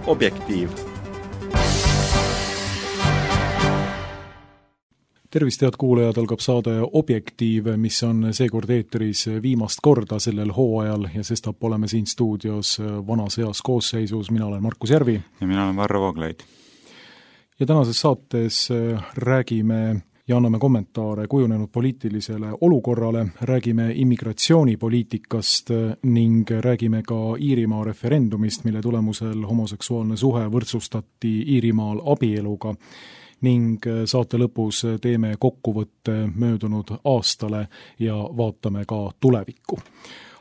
Objektiiv. Tervist, head kuulajad, algab saade Objektiiv, mis on seekord eetris viimast korda sellel hooajal ja sestap oleme siin stuudios vanas heas koosseisus. Mina olen Markus Järvi. Ja mina olen Varro Vooglaid. Ja tänases saates räägime ja anname kommentaare kujunenud poliitilisele olukorrale, räägime immigratsioonipoliitikast ning räägime ka Iirimaa referendumist, mille tulemusel homoseksuaalne suhe võrdsustati Iirimaal abieluga ning saate lõpus teeme kokkuvõtte möödunud aastale ja vaatame ka tulevikku.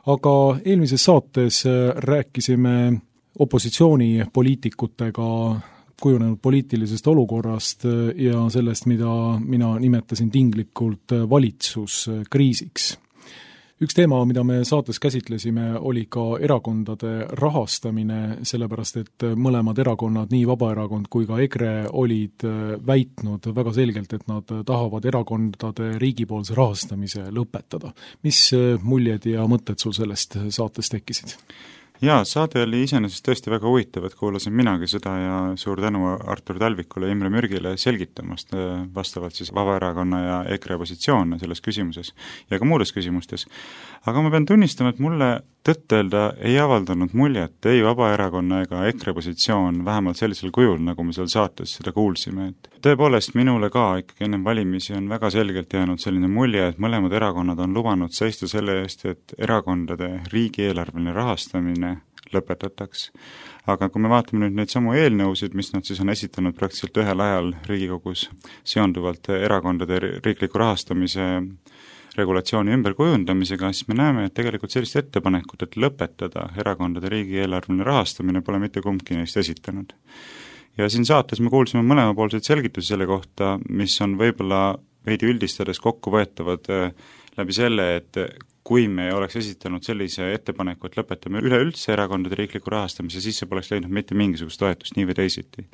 Aga eelmises saates rääkisime opositsioonipoliitikutega kujunenud poliitilisest olukorrast ja sellest, mida mina nimetasin tinglikult valitsuskriisiks. Üks teema, mida me saates käsitlesime, oli ka erakondade rahastamine, sellepärast et mõlemad erakonnad, nii Vabaerakond kui ka EKRE, olid väitnud väga selgelt, et nad tahavad erakondade riigipoolse rahastamise lõpetada. Mis muljed ja mõtted sul sellest saates tekkisid? Jaa, saade oli iseenesest tõesti väga huvitav, et kuulasin minagi seda ja suur tänu Artur Talvikule ja Imre Mürgile selgitamast vastavalt siis Vabaerakonna ja EKRE positsioone selles küsimuses ja ka muudes küsimustes. Aga ma pean tunnistama, et mulle tõtt-öelda ei avaldanud muljet ei Vabaerakonna ega EKRE positsioon vähemalt sellisel kujul, nagu me seal saates seda kuulsime. Et tõepoolest minule ka ikkagi enne valimisi on väga selgelt jäänud selline mulje, et mõlemad erakonnad on lubanud seista selle eest, et erakondade riigieelarveline rahastamine lõpetataks. Aga kui me vaatame nüüd neid samu eelnõusid, mis nad siis on esitanud praktiliselt ühel ajal Riigikogus seonduvalt erakondade riikliku rahastamise regulatsiooni ümberkujundamisega, siis me näeme, et tegelikult sellist ettepanekut, et lõpetada erakondade riigieelarveline rahastamine, pole mitte kumbki neist esitanud. Ja siin saates me kuulsime mõlemapoolseid selgitusi selle kohta, mis on võib-olla veidi üldistades kokku võetavad läbi selle, et kui me oleks esitanud sellise ettepaneku, et lõpetame üleüldse erakondade riikliku rahastamise, siis see poleks leidnud mitte mingisugust toetust nii või teisiti.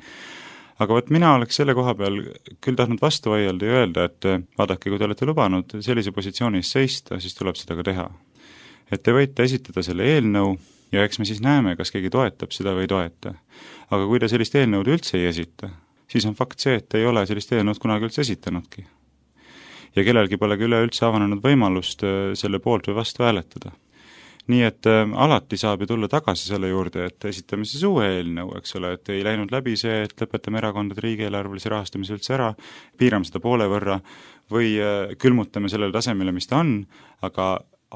Aga võt mina oleks selle koha peal küll tahtnud vastu vaielda ja öelda, et vaadake, kui te olete lubanud sellise positsiooni eest seista, siis tuleb seda ka teha. Et te võite esitada selle eelnõu ja eks me siis näeme, kas keegi toetab seda või ei toeta. Aga kui te sellist eelnõud üldse ei esita, siis on fakt see, et te ei ole sellist eelnõud kunagi üldse esitanudki. Ja kellelgi polegi üleüldse avanenud võimalust selle poolt või vastu hääletada. Nii et alati saab ju tulla tagasi selle juurde, et esitame siis uue eelnõu, eks ole, et ei läinud läbi see, et lõpetame erakondade riigieelarvelise rahastamise üldse ära, piirame seda poole võrra või külmutame sellele tasemele, mis ta on, aga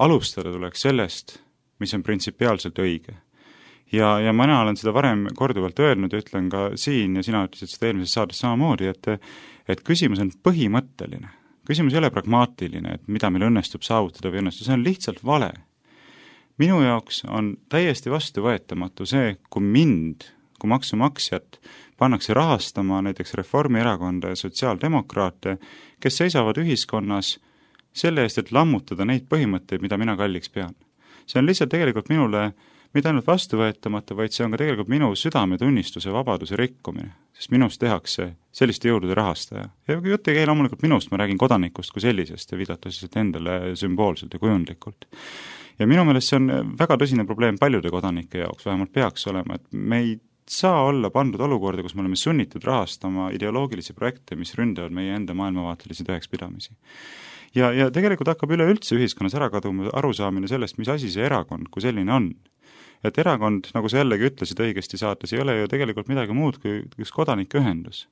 alustada tuleks sellest, mis on printsipiaalselt õige. Ja mina olen seda varem korduvalt öelnud ja ütlen ka siin ja sina ütlesid seda eelmises saades samamoodi, et küsimus on põhimõtteline. Küsimus ei ole pragmaatiline, et mida meil õnnestub saavutada või õnnestub, see on lihtsalt vale. Minu jaoks on täiesti vastuvõetamatu see, kui maksumaksjat pannakse rahastama näiteks Reformierakonda ja sotsiaaldemokraate, kes seisavad ühiskonnas selle eest, et lammutada neid põhimõtteid, mida mina kalliks pean. See on lihtsalt tegelikult minule mitte ainult vastuvõetamatu, vaid see on ka tegelikult minu südametunnistuse vabaduse rikkumine, sest minust tehakse selliste jõudude rahastaja. Ja jutt ei käi loomulikult minust, ma räägin kodanikust kui sellisest ja viidata siis endale sümboolselt ja kujundlikult. Ja minu meelest see on väga tõsine probleem paljude kodanike jaoks, vähemalt peaks olema, et me ei saa olla pandud olukorda, kus me oleme sunnitud rahastama ideoloogilisi projekte, mis ründavad meie enda maailmavaatelisi tõekspidamisi. Ja tegelikult hakkab üleüldse ühiskonnas ära kaduma arusaamine sellest, mis asi see erakond kui selline on. Et erakond, nagu sa jällegi ütlesid õigesti saates, ei ole ju tegelikult midagi muud kui üks kodanikeühendus,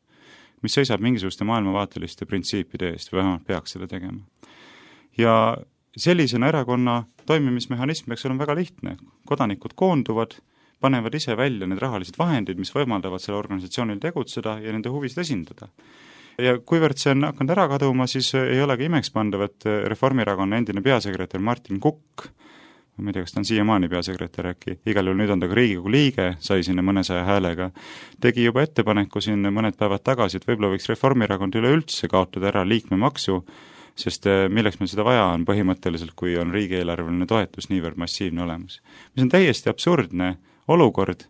mis seisab mingisuguste maailmavaateliste printsiipide eest või vähemalt peaks seda tegema. Ja sellisena erakonna toimimismehhanism peaks olema väga lihtne. Kodanikud koonduvad, panevad ise välja need rahalised vahendid, mis võimaldavad selle organisatsioonil tegutseda ja nende huvisid esindada. Ja kuivõrd see on hakanud ära kaduma, siis ei olegi imekspandav, et Reformierakonna endine peasekretär Martin Kukk, ma ei tea, kas ta on siiamaani peasekretär äkki, igal juhul nüüd on ta ka Riigikogu liige, sai sinna mõnesaja häälega, tegi juba ettepaneku siin mõned päevad tagasi, et võib-olla võiks Reformierakond üleüldse kaotada ära liikmemaksu, sest milleks meil seda vaja on põhimõtteliselt, kui on riigieelarveline toetus niivõrd massiivne olemas. Mis on täiesti absurdne olukord,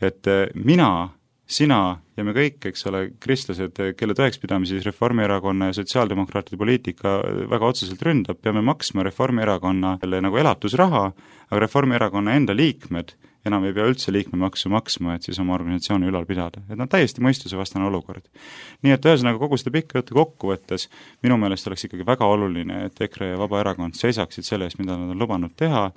et mina, sina ja me kõik, eks ole, kristlased, kelle tõekspidamisi Reformierakonna ja sotsiaaldemokraatide poliitika väga otseselt ründab, peame maksma Reformierakonnale nagu elatusraha, aga Reformierakonna enda liikmed enam ei pea üldse liikmemaksu maksma, et siis oma organisatsiooni ülal pidada. Et täiesti mõistusevastane olukord. Nii et ühesõnaga kogu seda pikka juttu kokkuvõttes minu meelest oleks ikkagi väga oluline, et EKRE ja Vabaerakond seisaksid selle eest, mida nad on lubanud teha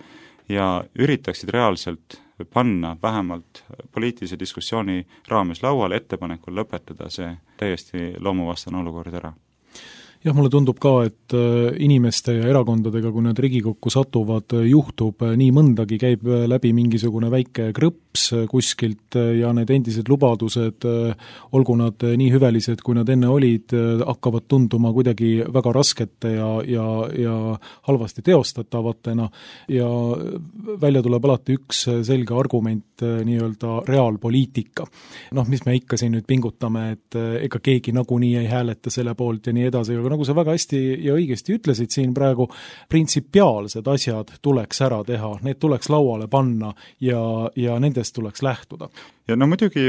ja üritaksid reaalselt panna vähemalt poliitilise diskussiooni raames lauale ettepanekul lõpetada see täiesti loomuvastane olukord ära. Jah, mulle tundub ka, et inimeste ja erakondadega, kui nad Riigikokku satuvad, juhtub nii mõndagi, käib läbi mingisugune väike krõps kuskilt ja need endised lubadused, olgu nad nii hüvelised, kui nad enne olid, hakkavad tunduma kuidagi väga raskete ja halvasti teostatavatena ja välja tuleb alati üks selge argument, nii-öelda reaalpoliitika. Mis me ikka siin nüüd pingutame, et ega keegi nagunii ei hääleta selle poolt ja nii edasi, aga nagu sa väga hästi ja õigesti ütlesid siin praegu, printsipiaalsed asjad tuleks ära teha, need tuleks lauale panna ja nendest tuleks lähtuda. Ja muidugi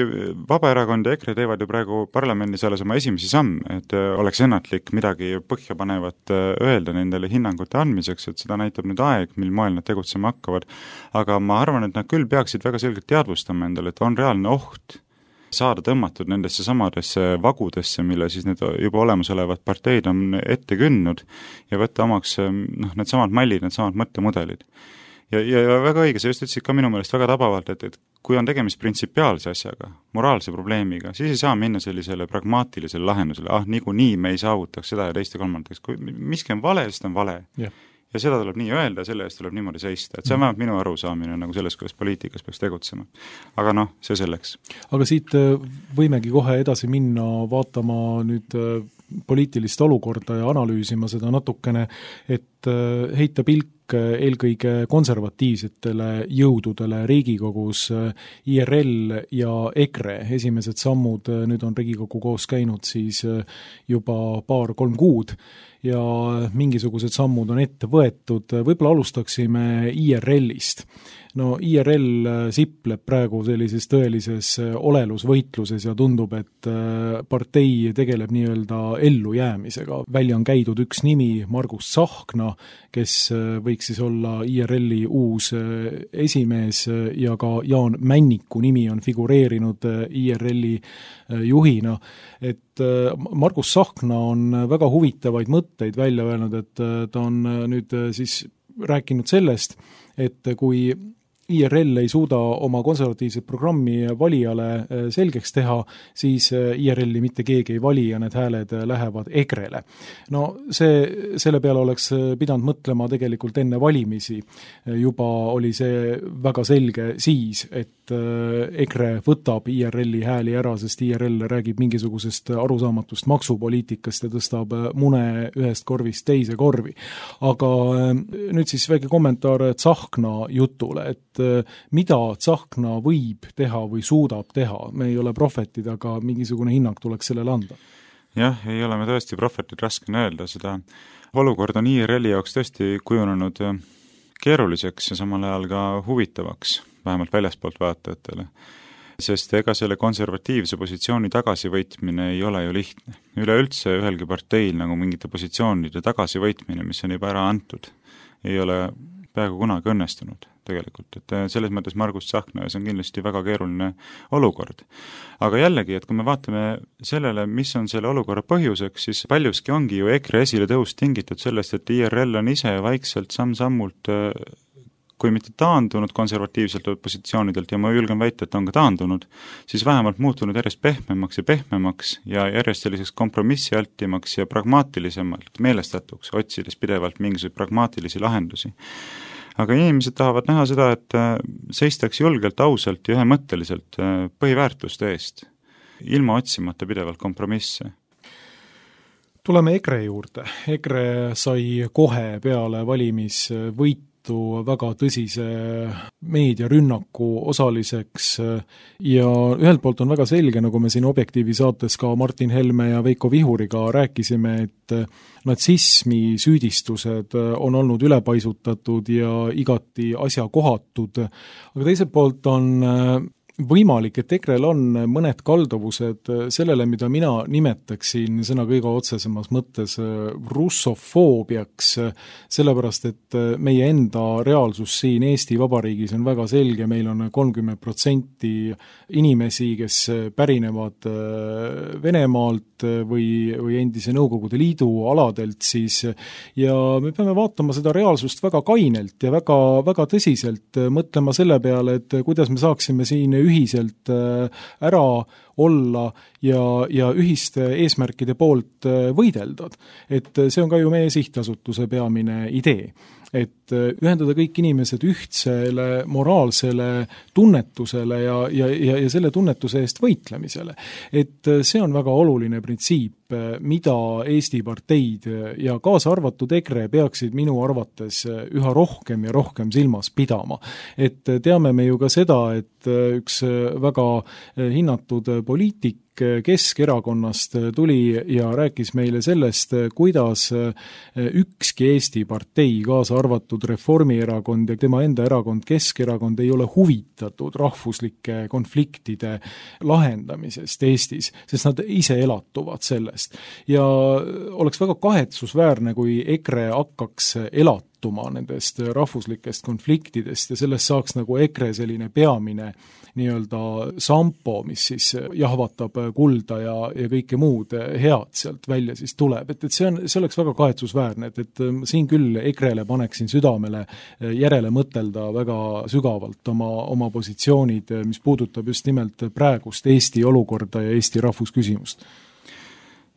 Vabaerakond ja EKRE teevad ju praegu parlamendis alles oma esimesi samme, et oleks ennatlik midagi põhjapanevat öelda nendele hinnangute andmiseks, et seda näitab nüüd aeg, mil moel nad tegutsema hakkavad. Aga ma arvan, et nad küll peaksid väga selgelt teadvustama endale, et on reaalne oht saada tõmmatud nendesse samadesse vagudesse, mille siis need juba olemasolevad parteid on ette kündnud ja võtta omaks need samad mallid, need samad mõttemudelid. Ja väga õige, sa just ütlesid ka minu meelest väga tabavalt, et kui on tegemist printsipiaalse asjaga, moraalse probleemiga, siis ei saa minna sellisele pragmaatilisele lahendusele, niikuinii me ei saavutaks seda ja teist ja kolmandaks. Kui miski on vale, siis on vale. Yeah. Ja seda tuleb nii öelda, selle eest tuleb niimoodi seista. Et see on vähemalt minu arusaamine nagu selles, kuidas poliitikas peaks tegutsema. Aga see selleks. Aga siit võimegi kohe edasi minna vaatama nüüd poliitilist olukorda ja analüüsima seda natukene, et heita pilk eelkõige konservatiivsetele jõududele Riigikogus, IRL ja EKRE. Esimesed sammud nüüd on Riigikogu koos käinud siis juba 2-3 kuud ja mingisugused sammud on ette võetud. Võib-olla alustaksime IRL-ist. IRL sipleb praegu sellises tõelises olelusvõitluses ja tundub, et partei tegeleb nii-öelda ellujäämisega. Välja on käidud üks nimi, Margus Tsahkna, kes võiks siis olla IRL-i uus esimees ja ka Jaan Männiku nimi on figureerinud IRL-i juhina. Et Margus Tsahkna on väga huvitavaid mõtteid välja öelnud, et ta on nüüd siis rääkinud sellest, et kui IRL ei suuda oma konservatiivset programmi valijale selgeks teha, siis IRL-i mitte keegi ei vali ja need hääled lähevad EKRE-le. Selle peale oleks pidanud mõtlema tegelikult enne valimisi. Juba oli see väga selge siis, et EKRE võtab IRL-i hääli ära, sest IRL räägib mingisugusest arusaamatust maksupoliitikast ja tõstab mune ühest korvist teise korvi. Aga nüüd siis väike kommentaar Tsahkna jutule, et mida Tsahkna võib teha või suudab teha. Me ei ole prohvetid, aga mingisugune hinnang tuleks sellele anda. Jah, ei ole me tõesti prohvetid, raske öelda seda. Olukord on IRL-i jaoks tõesti kujunenud keeruliseks ja samal ajal ka huvitavaks, vähemalt väljaspoolt vaatajatele. Sest ega selle konservatiivse positsiooni tagasivõitmine ei ole ju lihtne. Üleüldse ühelgi parteil nagu mingite positsioonide tagasivõitmine, mis on juba ära antud, ei ole peaaegu kunagi õnnestunud tegelikult, et selles mõttes Margus Tsahkna ja see on kindlasti väga keeruline olukord. Aga jällegi, et kui me vaatame sellele, mis on selle olukorra põhjuseks, siis paljuski ongi ju EKRE esile tõus tingitud sellest, et IRL on ise vaikselt samm-sammult, kui mitte taandunud konservatiivselt positsioonidelt ja ma julgen väita, et on ka taandunud, siis vähemalt muutunud järjest pehmemaks ja järjest selliseks kompromissialtimaks ja pragmaatilisemalt meelestatuks, otsides pidevalt mingisuguseid pragmaatilisi lahendusi. Aga inimesed tahavad näha seda, et seistaks julgelt, ausalt ja ühemõtteliselt põhiväärtuste eest, ilma otsimata pidevalt kompromisse. Tuleme EKRE juurde. EKRE sai kohe peale valimisvõitu väga tõsise meediarünnaku osaliseks ja ühelt poolt on väga selge, nagu me siin Objektiivi saates ka Martin Helme ja Veiko Vihuriga rääkisime, et natsismi süüdistused on olnud ülepaisutatud ja igati asjakohatud, aga teiselt poolt on võimalik, et EKRE-l on mõned kalduvused sellele, mida mina nimetaksin sõna kõige otsesemas mõttes russofoobiaks, sellepärast et meie enda reaalsus siin Eesti Vabariigis on väga selge, meil on 30% inimesi, kes pärinevad Venemaalt või endise Nõukogude Liidu aladelt siis, ja me peame vaatama seda reaalsust väga kainelt ja väga, väga tõsiselt, mõtlema selle peale, et kuidas me saaksime siin ühiselt ära olla ja ühiste eesmärkide poolt võideldad. Et see on ka ju meie sihtasutuse peamine idee. Et ühendada kõik inimesed ühtsele moraalsele tunnetusele ja selle tunnetuse eest võitlemisele. Et see on väga oluline printsiip, mida Eesti parteid ja kaasa arvatud EKRE peaksid minu arvates üha rohkem ja rohkem silmas pidama. Et teame me ju ka seda, et üks väga hinnatud poliitik Keskerakonnast tuli ja rääkis meile sellest, kuidas ükski Eesti partei, kaasa arvatud Reformierakond ja tema enda erakond Keskerakond ei ole huvitatud rahvuslike konfliktide lahendamisest Eestis, sest nad ise elatuvad sellest. Ja oleks väga kahetsusväärne, kui EKRE hakkaks elatuma nendest rahvuslikest konfliktidest ja sellest saaks nagu EKRE selline peamine nii-öelda sampo, mis siis jahvatab kulda ja kõike muud head sealt välja siis tuleb. Et see oleks väga kahetsusväärne, et siin küll EKRE-le paneksin südamele järele mõtelda väga sügavalt oma positsioonid, mis puudutab just nimelt praegust Eesti olukorda ja Eesti rahvusküsimust.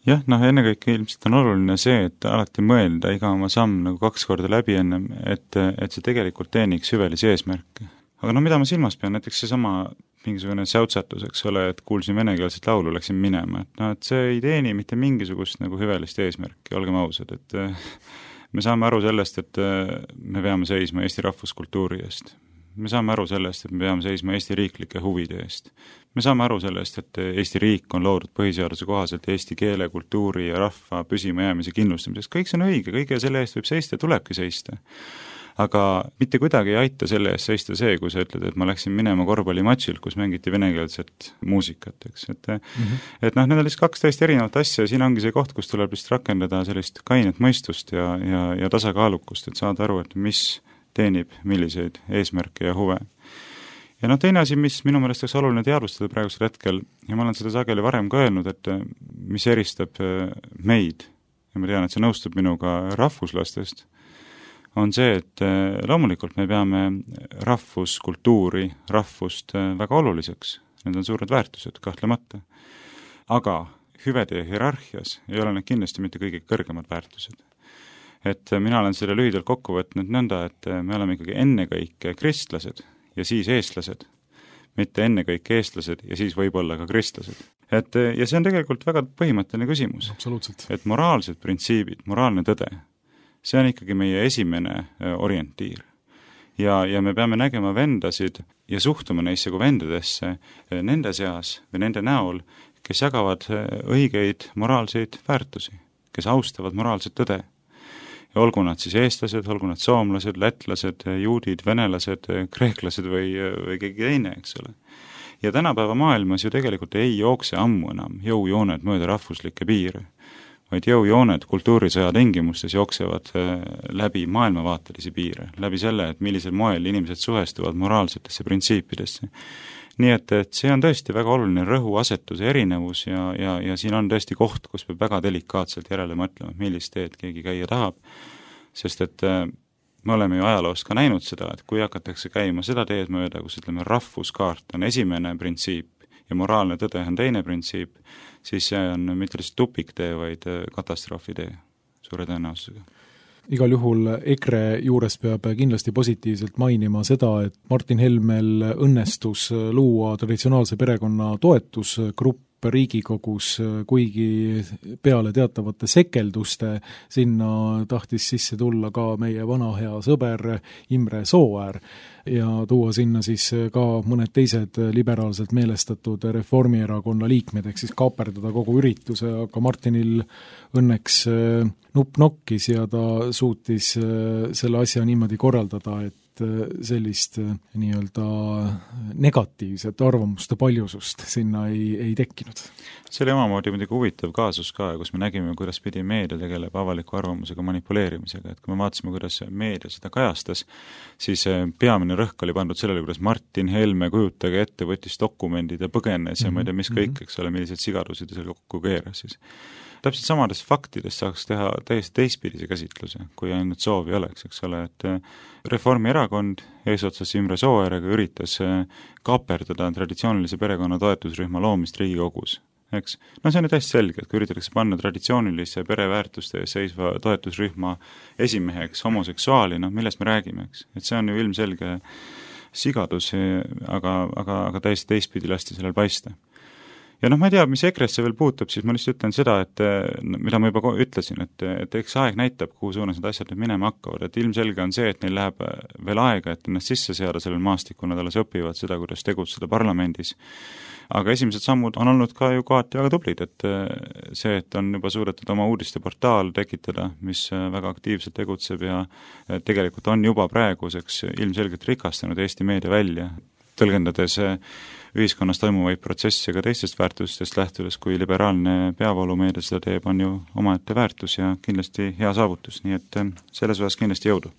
Jah, ennekõike ilmselt on oluline see, et alati mõelda iga oma samm nagu 2 korda läbi ennem, et see tegelikult teeniks hüvelisi eesmärke. Aga mida ma silmas pean, näiteks seesama mingisugune säutsatus, eks ole, et kuulsin venekeelset laulu, läksin minema, et see ei teeni mitte mingisugust nagu hüvelist eesmärki, olgem ausad, et me saame aru sellest, et me peame seisma Eesti rahvuskultuuri eest. Me saame aru sellest, et me peame seisma Eesti riiklike huvide eest. Me saame aru sellest, et Eesti riik on loodud põhiseaduse kohaselt eesti keele, kultuuri ja rahva püsima jäämise kindlustamiseks. Kõik see on õige, kõige selle eest võib seista, tulebki seista. Aga mitte kuidagi ei aita selle eest seista see, kui sa ütled, et ma läksin minema korvpallimatšilt, kus mängiti venekeelset muusikat, eks. Et need on lihtsalt 2 täiesti erinevat asja ja siin ongi see koht, kus tuleb lihtsalt rakendada sellist kainet mõistust ja tasakaalukust, et saada aru, et mis teenib milliseid eesmärke ja huve. Ja teine asi, mis minu meelest oleks oluline teadvustada praegusel hetkel, ja ma olen seda sageli varem ka öelnud, et mis eristab meid, ja ma tean, et see nõustub minuga rahvuslastest, on see, et loomulikult me peame rahvuskultuuri, rahvust väga oluliseks. Need on suured väärtused, kahtlemata. Aga hüvede hierarhias ei ole need kindlasti mitte kõige kõrgemad väärtused. Et mina olen selle lühidalt kokku võtnud nõnda, et me oleme ikkagi ennekõike kristlased ja siis eestlased, mitte ennekõike eestlased ja siis võib-olla ka kristlased. Ja see on tegelikult väga põhimõtteline küsimus. Absoluutselt. Et moraalsed printsiibid, moraalne tõde, see on ikkagi meie esimene orientiir. Ja me peame nägema vendasid ja suhtuma neisse kui vendadesse nende seas või nende näol, kes jagavad õigeid moraalseid väärtusi, kes austavad moraalset tõde. Ja olgu nad siis eestlased, olgu nad soomlased, lätlased, juudid, venelased, kreeklased või keegi teine, eks ole. Ja tänapäeva maailmas ju tegelikult ei jookse ammu enam jõujooned mööda rahvuslikke piire, vaid jõujooned kultuurisõja tingimustes jooksevad läbi maailmavaatelisi piire, läbi selle, et millisel moel inimesed suhestuvad moraalsetesse printsiipidesse. Nii et see on tõesti väga oluline rõhuasetuse erinevus ja siin on tõesti koht, kus peab väga delikaatselt järele mõtlema, millist teed keegi käia tahab, sest et me oleme ju ajaloost ka näinud seda, et kui hakatakse käima seda teed mööda, kus rahvuskaart on esimene printsiip ja moraalne tõde on teine printsiip, siis see on mitte lihtsalt tupiktee, vaid katastroofitee suure tõenäosusega. Igal juhul EKRE juures peab kindlasti positiivselt mainima seda, et Martin Helmel õnnestus luua traditsionaalse perekonna toetusgrupp Riigikogus, kuigi peale teatavate sekelduste sinna tahtis sisse tulla ka meie vana hea sõber Imre Sooäär ja tuua sinna siis ka mõned teised liberaalselt meelestatud Reformierakonna liikmed, ehk siis kaaperdada kogu ürituse, aga Martinil õnneks nupp nokkis ja ta suutis selle asja niimoodi korraldada, et sellist nii-öelda negatiivset arvamuste paljusust sinna ei tekkinud. See oli omamoodi muidugi huvitav kaasus ka, kus me nägime, kuidas pidi meedia tegeleb avaliku arvamusega manipuleerimisega, et kui me vaatasime, kuidas meedia seda kajastas, siis peamine rõhk oli pandud sellele, kuidas Martin Helme, kujutage ette, võttis dokumendid ja põgenes ja ma ei tea, mis kõik, eks ole, millised sigadusid ja seal kokku keeras siis. Täpselt samadest faktidest saaks teha täiesti teistpidise käsitluse, kui ainult soovi oleks, eks ole, et Reformierakond eesotsas Imre Sooäärega üritas kaaperdada traditsioonilise perekonna toetusrühma loomist Riigikogus. Eks? No see on ju täiesti selge, et kui üritatakse panna traditsioonilise pereväärtuste seisva toetusrühma esimeheks homoseksuaali, millest me räägime, eks? Et see on ju ilmselge sigadus, aga täiesti teistpidi lasti sellel paista. Ja ma ei tea, mis EKRE-sse veel puutub, siis ma lihtsalt ütlen seda, et mida ma juba ütlesin, et eks aeg näitab, kuhu suunas need asjad nüüd minema hakkavad, et ilmselge on see, et neil läheb veel aega, et ennast sisse seada sellel maastikul, nad alles õpivad seda, kuidas tegutseda parlamendis. Aga esimesed sammud on olnud ka ju kohati väga tublid, et see, et on juba suudetud oma uudisteportaal tekitada, mis väga aktiivselt tegutseb ja tegelikult on juba praeguseks ilmselgelt rikastanud Eesti meedia välja, tõlgendades ühiskonnas toimuvaid protsesse ka teistest väärtustest lähtudes, kui liberaalne peavoolumeedia seda teeb, on ju omaette väärtus ja kindlasti hea saavutus, nii et selles osas kindlasti jõudu.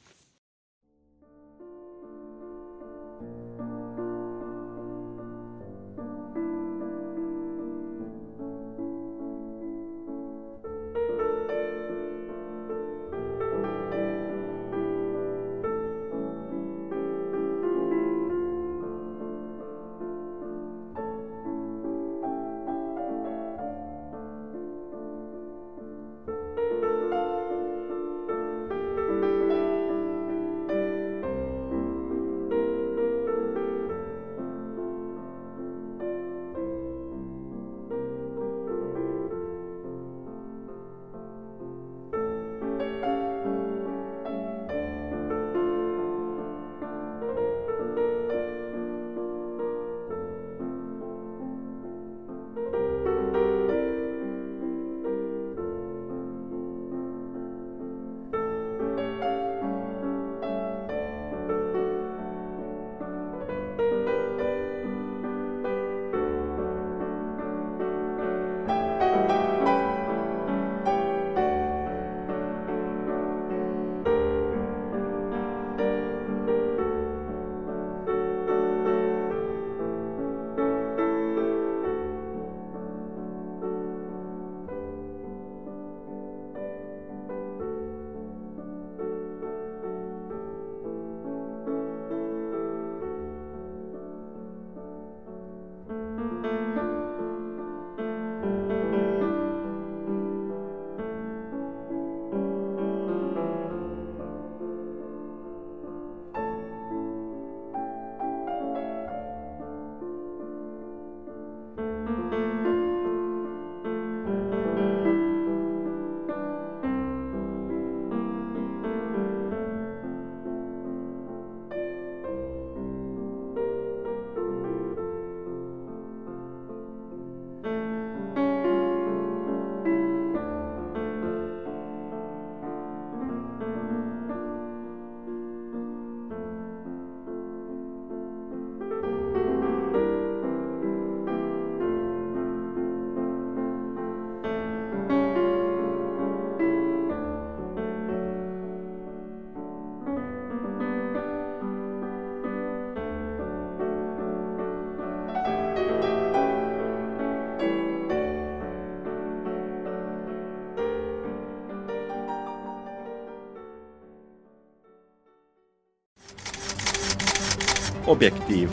Objektiiv.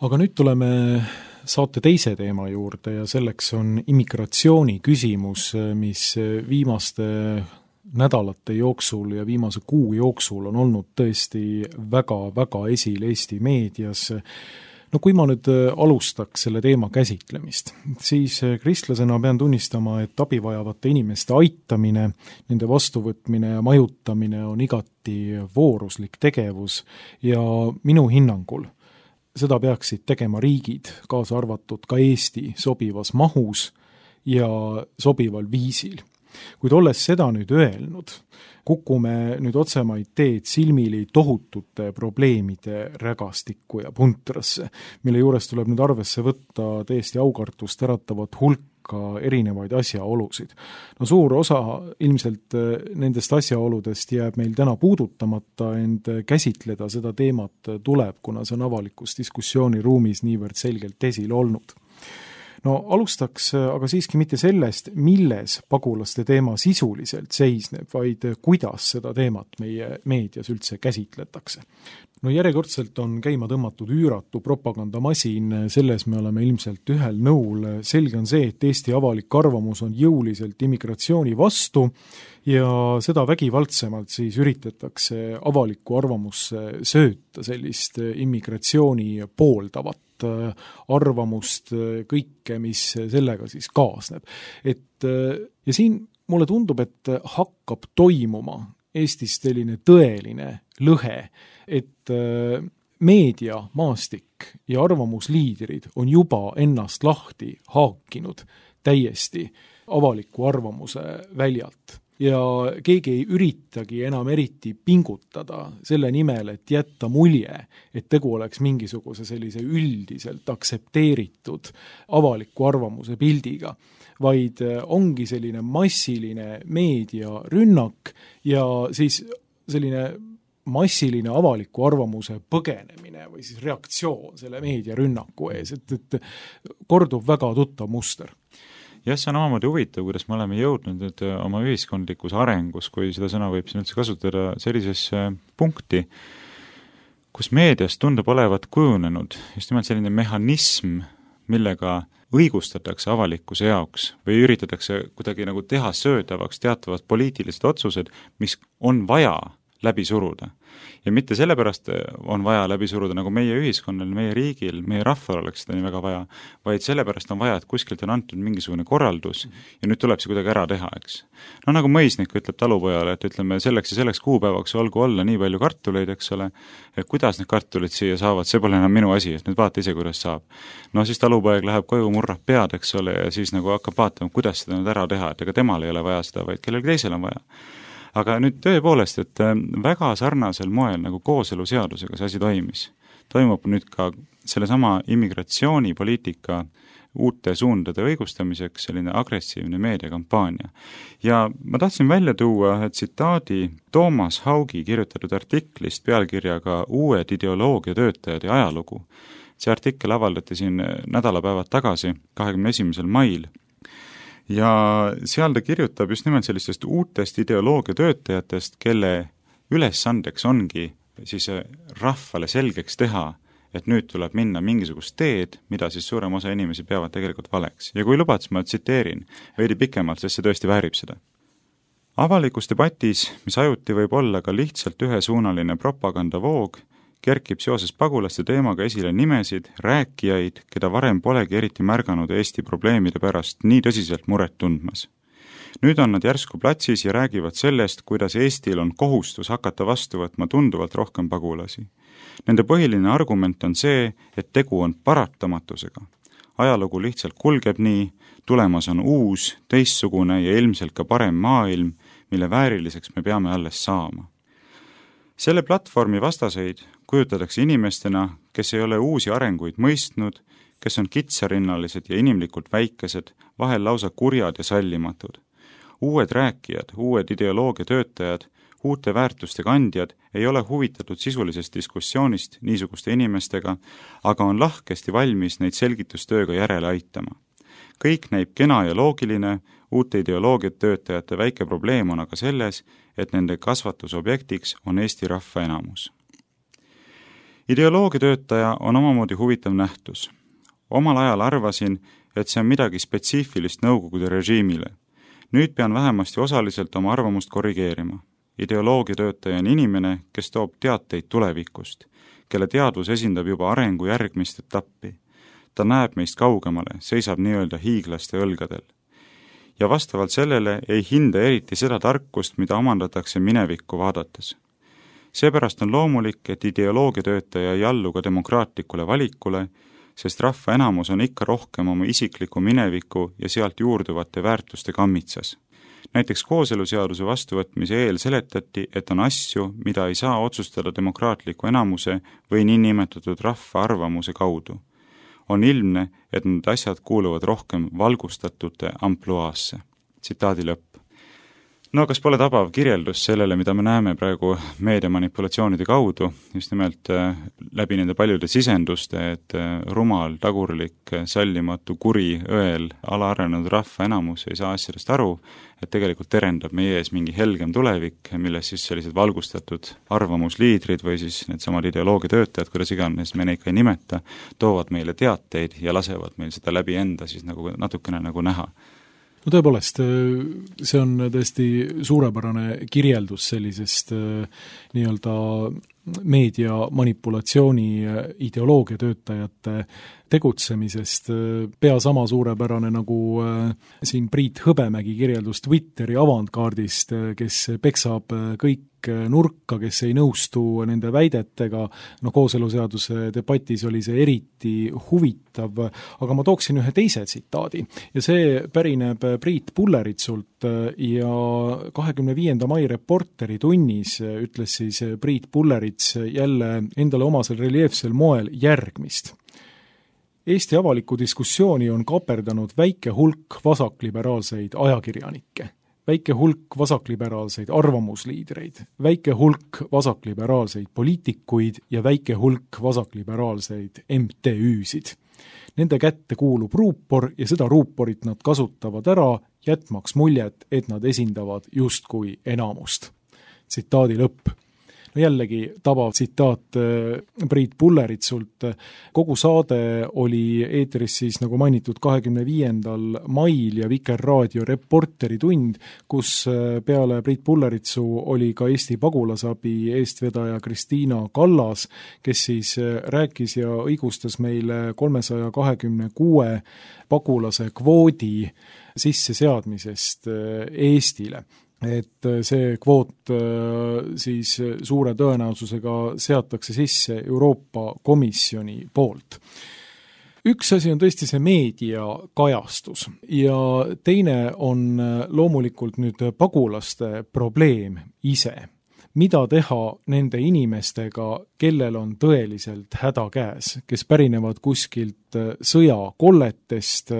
Aga nüüd tuleme saate teise teema juurde ja selleks on immigratsiooni küsimus, mis viimaste nädalate jooksul ja viimase kuu jooksul on olnud tõesti väga esil Eesti meedias. No kui ma nüüd alustaks selle teema käsitlemist, siis kristlasena pean tunnistama, et abivajavate inimeste aitamine, nende vastuvõtmine ja majutamine on igati vooruslik tegevus ja minu hinnangul seda peaksid tegema riigid, kaasa arvatud ka Eesti, sobivas mahus ja sobival viisil. Kuid olles seda nüüd öelnud, kukume nüüd otsemaid teed silmili tohutute probleemide rägastikku ja puntrasse, mille juures tuleb nüüd arvesse võtta täiesti aukartust äratavat hulka erinevaid asjaolusid. No suur osa ilmselt nendest asjaoludest jääb meil täna puudutamata, ent käsitleda seda teemat tuleb, kuna see on avalikus diskussiooniruumis niivõrd selgelt esil olnud. No alustaks aga siiski mitte sellest, milles pagulaste teema sisuliselt seisneb, vaid kuidas seda teemat meie meedias üldse käsitletakse. No järjekordselt on käima tõmmatud üüratu propagandamasin, selles me oleme ilmselt ühel nõul. Selge on see, et Eesti avalik arvamus on jõuliselt immigratsiooni vastu ja seda vägivaldsemalt siis üritatakse avalikku arvamusse sööta sellist immigratsiooni pooldavat arvamust, kõike, mis sellega siis kaasneb. Ja siin mulle tundub, et hakkab toimuma Eestis selline tõeline lõhe, et meedia, maastik ja arvamusliidrid on juba ennast lahti haakinud täiesti avaliku arvamuse väljalt. Ja keegi ei üritagi enam eriti pingutada selle nimel, et jätta mulje, et tegu oleks mingisuguse sellise üldiselt aksepteeritud avaliku arvamuse pildiga, vaid ongi selline massiline meediarünnak ja siis selline massiline avaliku arvamuse põgenemine või siis reaktsioon selle meediarünnaku ees, et kordub väga tuttav muster. Jah, see on omamoodi huvitav, kuidas me oleme jõudnud nüüd oma ühiskondlikus arengus, kui seda sõna võib siin üldse kasutada, sellisesse punkti, kus meediast tundub olevat kujunenud just nimelt selline mehhanism, millega õigustatakse avalikkuse jaoks või üritatakse kuidagi nagu teha söödavaks teatavad poliitilised otsused, mis on vaja läbi suruda. Ja mitte sellepärast on vaja läbi suruda, nagu meie ühiskonnal, meie riigil, meie rahval oleks seda nii väga vaja, vaid sellepärast on vaja, et kuskilt on antud mingisugune korraldus ja nüüd tuleb see kuidagi ära teha, eks. No nagu mõisnik ütleb talupojale, et ütleme selleks ja selleks kuupäevaks olgu olla nii palju kartuleid, eks ole, et kuidas need kartulid siia saavad, see pole enam minu asi, et nüüd vaata ise, kuidas saab. No siis talupoeg läheb koju, murrab pead, eks ole, ja siis nagu hakkab vaatama, kuidas seda nüüd ära teha, et ega temal ei ole vaja seda, vaid kellelgi teisel on vaja. Aga nüüd tõepoolest, et väga sarnasel moel nagu kooseluseadusega see asi toimis. Toimub nüüd ka sellesama immigratsioonipoliitika uute suundade õigustamiseks selline agressiivne meediakampaania. Ja ma tahtsin välja tuua tsitaadi Toomas Haugi kirjutatud artiklist pealkirjaga Uued ideoloogiatöötajad ja ajalugu. See artikkel avaldati siin nädalapäevad tagasi, 21. mail. Ja seal ta kirjutab just nimelt sellistest uutest ideoloogiatöötajatest, kelle ülesandeks ongi siis rahvale selgeks teha, et nüüd tuleb minna mingisugust teed, mida siis suurem osa inimesi peavad tegelikult valeks. Ja kui lubad, ma tsiteerin veidi pikemalt, sest see tõesti väärib seda. Avalikus debatis, mis ajuti võib olla ka lihtsalt ühesuunaline propagandavoog, kerkib seoses pagulaste teemaga esile nimesid, rääkijaid, keda varem polegi eriti märganud Eesti probleemide pärast nii tõsiselt muret tundmas. Nüüd on nad järsku platsis ja räägivad sellest, kuidas Eestil on kohustus hakata vastu võtma tunduvalt rohkem pagulasi. Nende põhiline argument on see, et tegu on paratamatusega. Ajalugu lihtsalt kulgeb nii, tulemas on uus, teistsugune ja ilmselt ka parem maailm, mille vääriliseks me peame alles saama. Selle platvormi vastaseid kujutatakse inimestena, kes ei ole uusi arenguid mõistnud, kes on kitsarinnalised ja inimlikult väikesed, vahel lausa kurjad ja sallimatud. Uued rääkijad, uued ideoloogiatöötajad, uute väärtuste kandjad ei ole huvitatud sisulisest diskussioonist niisuguste inimestega, aga on lahkesti valmis neid selgitustööga järele aitama. Kõik näib kena ja loogiline, uute ideoloogiatöötajate väike probleem on aga selles, et nende kasvatusobjektiks on Eesti rahva enamus. Ideoloogiatöötaja on omamoodi huvitav nähtus. Omal ajal arvasin, et see on midagi spetsiifilist Nõukogude režiimile. Nüüd pean vähemasti osaliselt oma arvamust korrigeerima. Ideoloogiatöötaja on inimene, kes toob teateid tulevikust, kelle teadvus esindab juba arengu järgmist etappi. Ta näeb meist kaugemale, seisab nii-öelda hiiglaste õlgadel. Ja vastavalt sellele ei hinda eriti seda tarkust, mida omandatakse minevikku vaadates. Seepärast on loomulik, et ideoloogiatöötaja ei allu ka demokraatlikule valikule, sest rahva enamus on ikka rohkem oma isikliku mineviku ja sealt juurduvate väärtuste kammitsas. Näiteks kooseluseaduse vastuvõtmise eel seletati, et on asju, mida ei saa otsustada demokraatliku enamuse või niinimetatud rahva arvamuse kaudu. On ilmne, et need asjad kuuluvad rohkem valgustatute ampluaasse. Tsitaadi lõpp. No kas pole tabav kirjeldus sellele, mida me näeme praegu meediamanipulatsioonide kaudu, just nimelt läbi nende paljude sisenduste, et rumal, tagurlik, sallimatu, kuri, õel, alaarenenud rahva enamus ei saa asjadest aru, et tegelikult terendab meie ees mingi helgem tulevik, milles siis sellised valgustatud arvamusliidrid või siis needsamad ideoloogiatöötajad, kuidas iganes me neid ka ei nimeta, toovad meile teateid ja lasevad meil seda läbi enda siis nagu natukene nagu näha. No tõepoolest, see on tõesti suurepärane kirjeldus sellisest nii-öelda meedia manipulatsiooni ideoloogiatöötajate tegutsemisest, pea sama suurepärane nagu siin Priit Hõbemägi kirjeldus Twitteri avantkaardist, kes peksab kõik nurka, kes ei nõustu nende väidetega, kooseluseaduse debatis oli see eriti huvitav, aga ma tooksin ühe teise tsitaadi ja see pärineb Priit Pulleritsult ja 25. mai Reporteri tunnis ütles siis Priit Pullerits jälle endale omasel reljeefsel moel järgmist. Eesti avalikku diskussiooni on kaperdanud väike hulk vasakliberaalseid ajakirjanikke, väike hulk vasakliberaalseid arvamusliidreid, väike hulk vasakliberaalseid poliitikuid ja väike hulk vasakliberaalseid MTÜ-sid. Nende kätte kuulub ruupor ja seda ruuporit nad kasutavad ära, jätmaks muljet, et nad esindavad justkui enamust. Tsitaadi lõpp. No jällegi tabav tsitaat Priit Pulleritsult. Kogu saade oli eetris siis nagu mainitud 25. mail ja Vikerraadio Reporteri tund, kus peale Priit Pulleritsu oli ka Eesti pagulasabi eestvedaja Kristiina Kallas, kes siis rääkis ja õigustas meile 326 pagulase kvoodi sisseseadmisest Eestile. Et see kvoot siis suure tõenäosusega seatakse sisse Euroopa Komisjoni poolt. Üks asi on tõesti see meediakajastus ja teine on loomulikult nüüd pagulaste probleem ise. Mida teha nende inimestega, kellel on tõeliselt häda käes, kes pärinevad kuskilt sõjakolletest,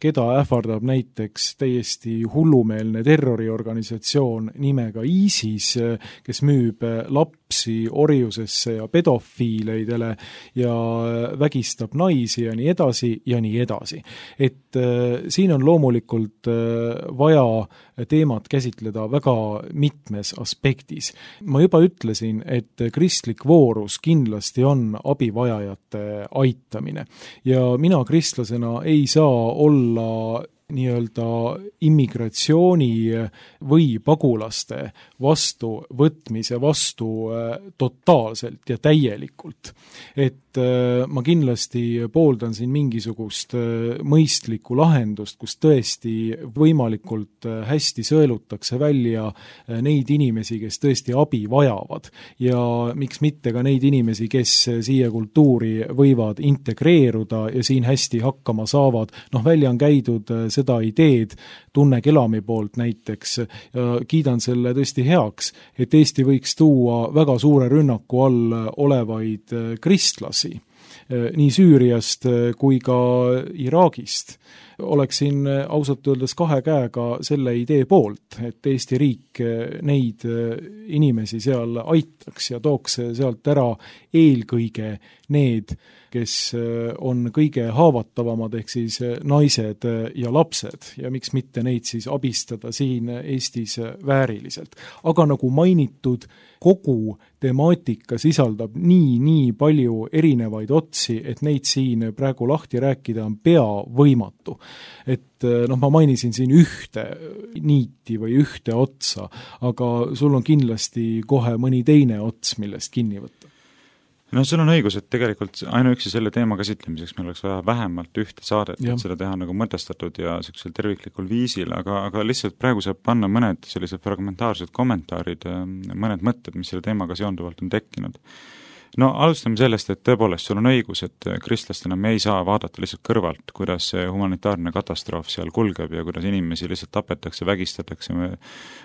keda ähvardab näiteks täiesti hullumeelne terroriorganisatsioon nimega ISIS, kes müüb lapsi orjusesse ja pedofiileidele ja vägistab naisi ja nii edasi ja nii edasi. Et siin on loomulikult vaja teemat käsitleda väga mitmes aspektis. Ma juba ütlesin, et kristlik voorus kindlasti on abivajajate aitamine ja mina kristlasena ei saa olla nii-öelda immigratsiooni või pagulaste vastuvõtmise vastu totaalselt ja täielikult. Et ma kindlasti pooldan siin mingisugust mõistlikku lahendust, kus tõesti võimalikult hästi sõelutakse välja neid inimesi, kes tõesti abi vajavad ja miks mitte ka neid inimesi, kes siia kultuuri võivad integreeruda ja siin hästi hakkama saavad. Välja on käidud seda ideed Tunne Kelami poolt näiteks ja kiidan selle tõesti heaks, et Eesti võiks tuua väga suure rünnaku all olevaid kristlasi nii Süüriast kui ka Iraagist. Oleksin ausalt öeldes kahe käega selle idee poolt, et Eesti riik neid inimesi seal aitaks ja tooks sealt ära eelkõige need, kes on kõige haavatavamad, ehk siis naised ja lapsed ja miks mitte neid siis abistada siin Eestis vääriliselt. Aga nagu mainitud, kogu temaatika sisaldab nii palju erinevaid otsi, et neid siin praegu lahti rääkida on pea võimatu. Et ma mainisin siin ühte niiti või ühte otsa, aga sul on kindlasti kohe mõni teine ots, millest kinni võtta. Sul on õigus, et tegelikult ainuüksi selle teema käsitlemiseks meil oleks vaja vähemalt ühte saadet, et seda teha nagu mõtestatud ja sellisel terviklikul viisil, aga lihtsalt praegu saab panna mõned sellised fragmentaarsed kommentaarid, mõned mõtted, mis selle teemaga seonduvalt on tekkinud. No alustame sellest, et tõepoolest sul on õigus, et kristlastena me ei saa vaadata lihtsalt kõrvalt, kuidas see humanitaarne katastroof seal kulgeb ja kuidas inimesi lihtsalt tapetakse, vägistatakse,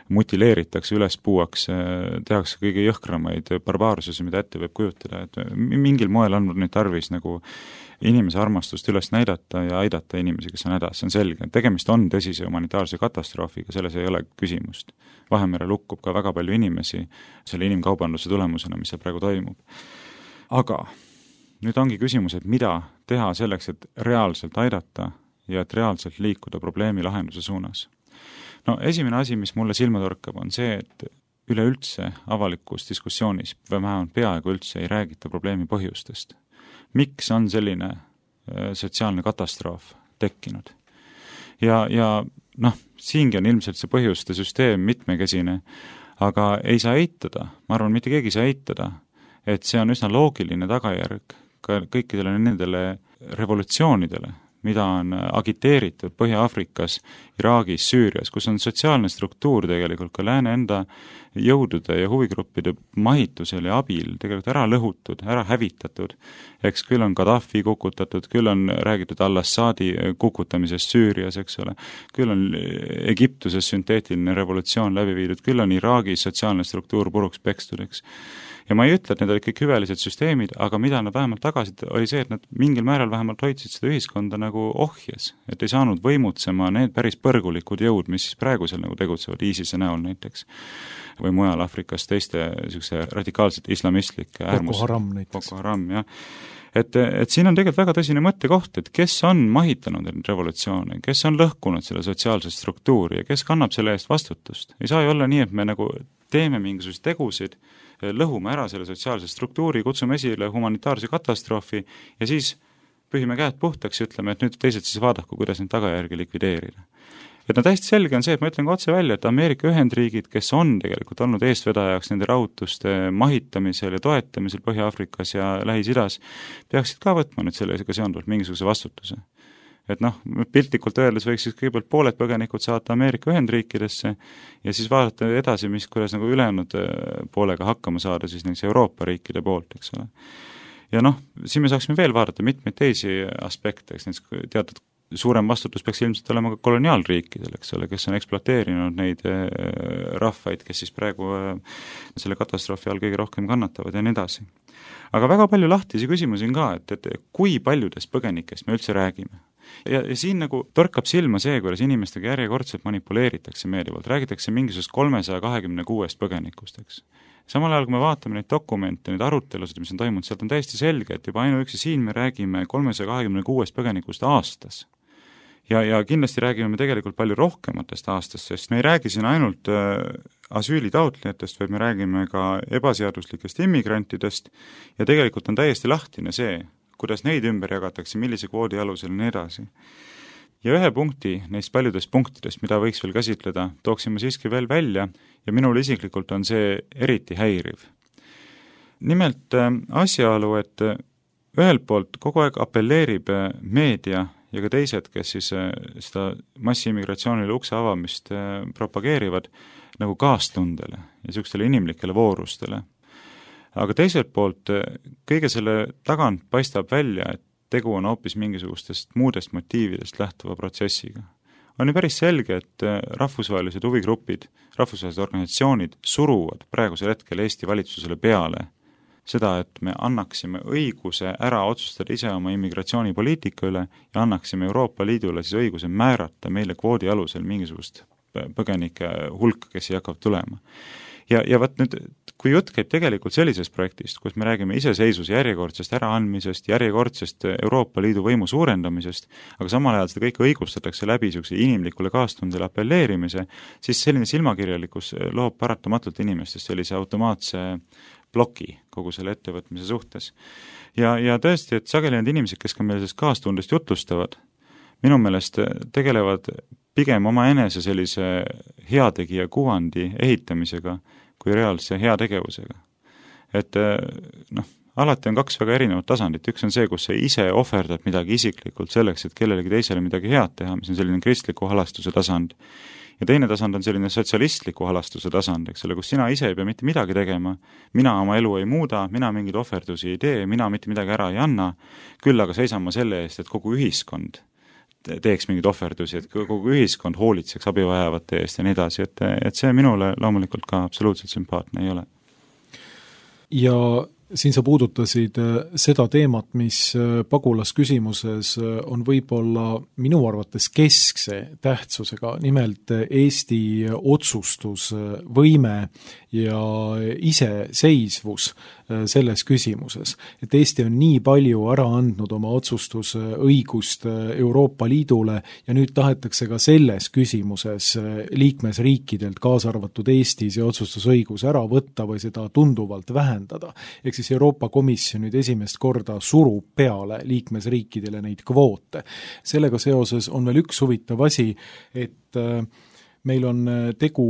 mutileeritakse, üles puuakse, tehakse kõige jõhkramaid barbaarsusi, mida ette võib kujutada, et mingil moel on nüüd tarvis nagu inimese armastust üles näidata ja aidata inimesi, kes on hädas, see on selge. Tegemist on tõsise humanitaarse katastroofiga, selles ei ole küsimust. Vahemerel hukkub ka väga palju inimesi selle inimkaubanduse tulemusena, mis seal praegu toimub. Aga nüüd ongi küsimus, et mida teha selleks, et reaalselt aidata ja et reaalselt liikuda probleemi lahenduse suunas. No esimene asi, mis mulle silma torkab, on see, et üleüldse avalikus diskussioonis või vähemalt peaaegu üldse ei räägita probleemi põhjustest. Miks on selline sotsiaalne katastroof tekkinud? Ja siingi on ilmselt see põhjuste süsteem mitmekesine, aga ei saa eitada, ma arvan, mitte keegi ei saa eitada, et see on üsna loogiline tagajärg ka kõikidele nendele revolutsioonidele, mida on agiteeritud Põhja-Aafrikas, Iraagis, Süürias, kus on sotsiaalne struktuur tegelikult ka lääne enda jõudude ja huvigruppide mahitusel ja abil tegelikult ära lõhutud, ära hävitatud. Eks küll on Gaddafi kukutatud, küll on räägitud al-Assadi kukutamisest Süürias, eks ole, küll on Egiptuses sünteetiline revolutsioon läbi viidud, küll on Iraagis sotsiaalne struktuur puruks pekstud, eks. Ja ma ei ütle, et need olid kõik hüvelised süsteemid, aga mida nad vähemalt tagasid, oli see, et nad mingil määral vähemalt hoidsid seda ühiskonda nagu ohjes, et ei saanud võimutsema need päris põrgulikud jõud, mis siis praegu seal nagu tegutsevad ISISe näol näiteks, või mujal Afrikas teiste niisuguse radikaalsete islamistlike Boko Haram näiteks. Boko Haram, jah. Et siin on tegelikult väga tõsine mõttekoht, et kes on mahitanud revolutsioone, kes on lõhkunud selle sotsiaalset struktuuri ja kes kannab selle eest vastutust. Ei saa ju olla nii, et me nagu teeme mingisugused tegusid, lõhume ära selle sotsiaalse struktuuri, kutsume esile humanitaarse katastroofi ja siis pühime käed puhtaks ja ütleme, et nüüd teised siis vaadaku, kuidas neid tagajärgi likvideerida. Et täiesti selge on see, et ma ütlen ka otse välja, et Ameerika Ühendriigid, kes on tegelikult olnud eestvedajaks nende rahutuste mahitamisel ja toetamisel Põhja-Aafrikas ja Lähis-Idas, peaksid ka võtma nüüd sellega seonduvalt mingisuguse vastutuse. Et piltlikult öeldes võiks siis kõigepealt pooled põgenikud saata Ameerika Ühendriikidesse ja siis vaadata edasi, kuidas nagu ülejäänud poolega hakkama saada siis näiteks Euroopa riikide poolt, eks ole. Ja siin me saaksime veel vaadata mitmeid teisi aspekte, eks näiteks teatud suurem vastutus peaks ilmselt olema ka koloniaalriikidel, eks ole, kes on ekspluateerinud neid rahvaid, kes siis praegu selle katastroofi all kõige rohkem kannatavad ja nii edasi. Aga väga palju lahtisi küsimusi on ka, et kui paljudest põgenikest me üldse räägime. Ja siin nagu torkab silma see, kuidas inimestega järjekordselt manipuleeritakse meeldivalt, räägitakse mingisugust 326 põgenikust, eks. Samal ajal, kui me vaatame neid dokumente, neid arutelusid, mis on toimunud, sealt on täiesti selge, et juba ainuüksi siin me räägime 326 põgenikust aastas. Ja kindlasti räägime me tegelikult palju rohkematest aastast, sest me ei räägi siin ainult asüülitaotlejatest, vaid me räägime ka ebaseaduslikest immigrantidest ja tegelikult on täiesti lahtine see, kuidas neid ümber jagatakse, millise kvoodi alusel ja nii edasi. Ja ühe punkti neist paljudest punktidest, mida võiks veel käsitleda, tooksime siiski veel välja ja minul isiklikult on see eriti häiriv. Nimelt asjaolu, et ühelt poolt kogu aeg appelleerib meedia ja ka teised, kes siis seda massiimmigratsioonile ukse avamist propageerivad nagu kaastundele ja niisugustele inimlikele voorustele. Aga teiselt poolt kõige selle tagant paistab välja, et tegu on hoopis mingisugustest muudest motiividest lähtuva protsessiga. On ju päris selge, et rahvusvahelised huvigrupid, rahvusvahelised organisatsioonid suruvad praegusel hetkel Eesti valitsusele peale seda, et me annaksime õiguse ära otsustada ise oma immigratsioonipoliitika üle ja annaksime Euroopa Liidule siis õiguse määrata meile kvoodi alusel mingisugust põgenike hulka, kes ei hakkab tulema. Ja võt nüüd, kui jutt käib tegelikult sellisest projektist, kus me räägime iseseisvuse järjekordsest äraandmisest, järjekordsest Euroopa Liidu võimu suurendamisest, aga samal ajal seda kõike õigustatakse läbi niisuguse inimlikule kaastundele appelleerimise, siis selline silmakirjalikkus loob paratamatult inimestest sellise automaatse ploki kogu selle ettevõtmise suhtes. Ja tõesti, et sageli need inimesed, kes ka meil sellest kaastundest jutlustavad, minu meelest tegelevad pigem oma enese sellise heategija kuvandi ehitamisega kui reaalse heategevusega. Et alati on kaks väga erinevat tasandit. Üks on see, kus sa ise ohverdad midagi isiklikult selleks, et kellelegi teisele midagi head teha, mis on selline kristliku halastuse tasand. ja teine tasand on selline sotsialistliku halastuse tasand, eks ole, kus sina ise ei pea mitte midagi tegema, mina oma elu ei muuda, mina mingeid ohverdusi ei tee, mina mitte midagi ära ei anna, küll aga seisan ma selle eest, et kogu ühiskond teeks mingeid ohverdusi, et kogu ühiskond hoolitseks abivajavate eest ja nii edasi, et see minule loomulikult ka absoluutselt sümpaatne ei ole. Ja siin sa puudutasid seda teemat, mis pagulasküsimuses on võib-olla minu arvates keskse tähtsusega, nimelt Eesti otsustusvõime ja iseseisvus selles küsimuses. Et Eesti on nii palju ära andnud oma otsustusõigust Euroopa Liidule ja nüüd tahetakse ka selles küsimuses liikmesriikidelt, kaasa arvatud Eesti, see otsustusõigus ära võtta või seda tunduvalt vähendada. Ehk siis Euroopa Komisjon nüüd esimest korda surub peale liikmesriikidele neid kvoote. Sellega seoses on veel üks huvitav asi, et meil on tegu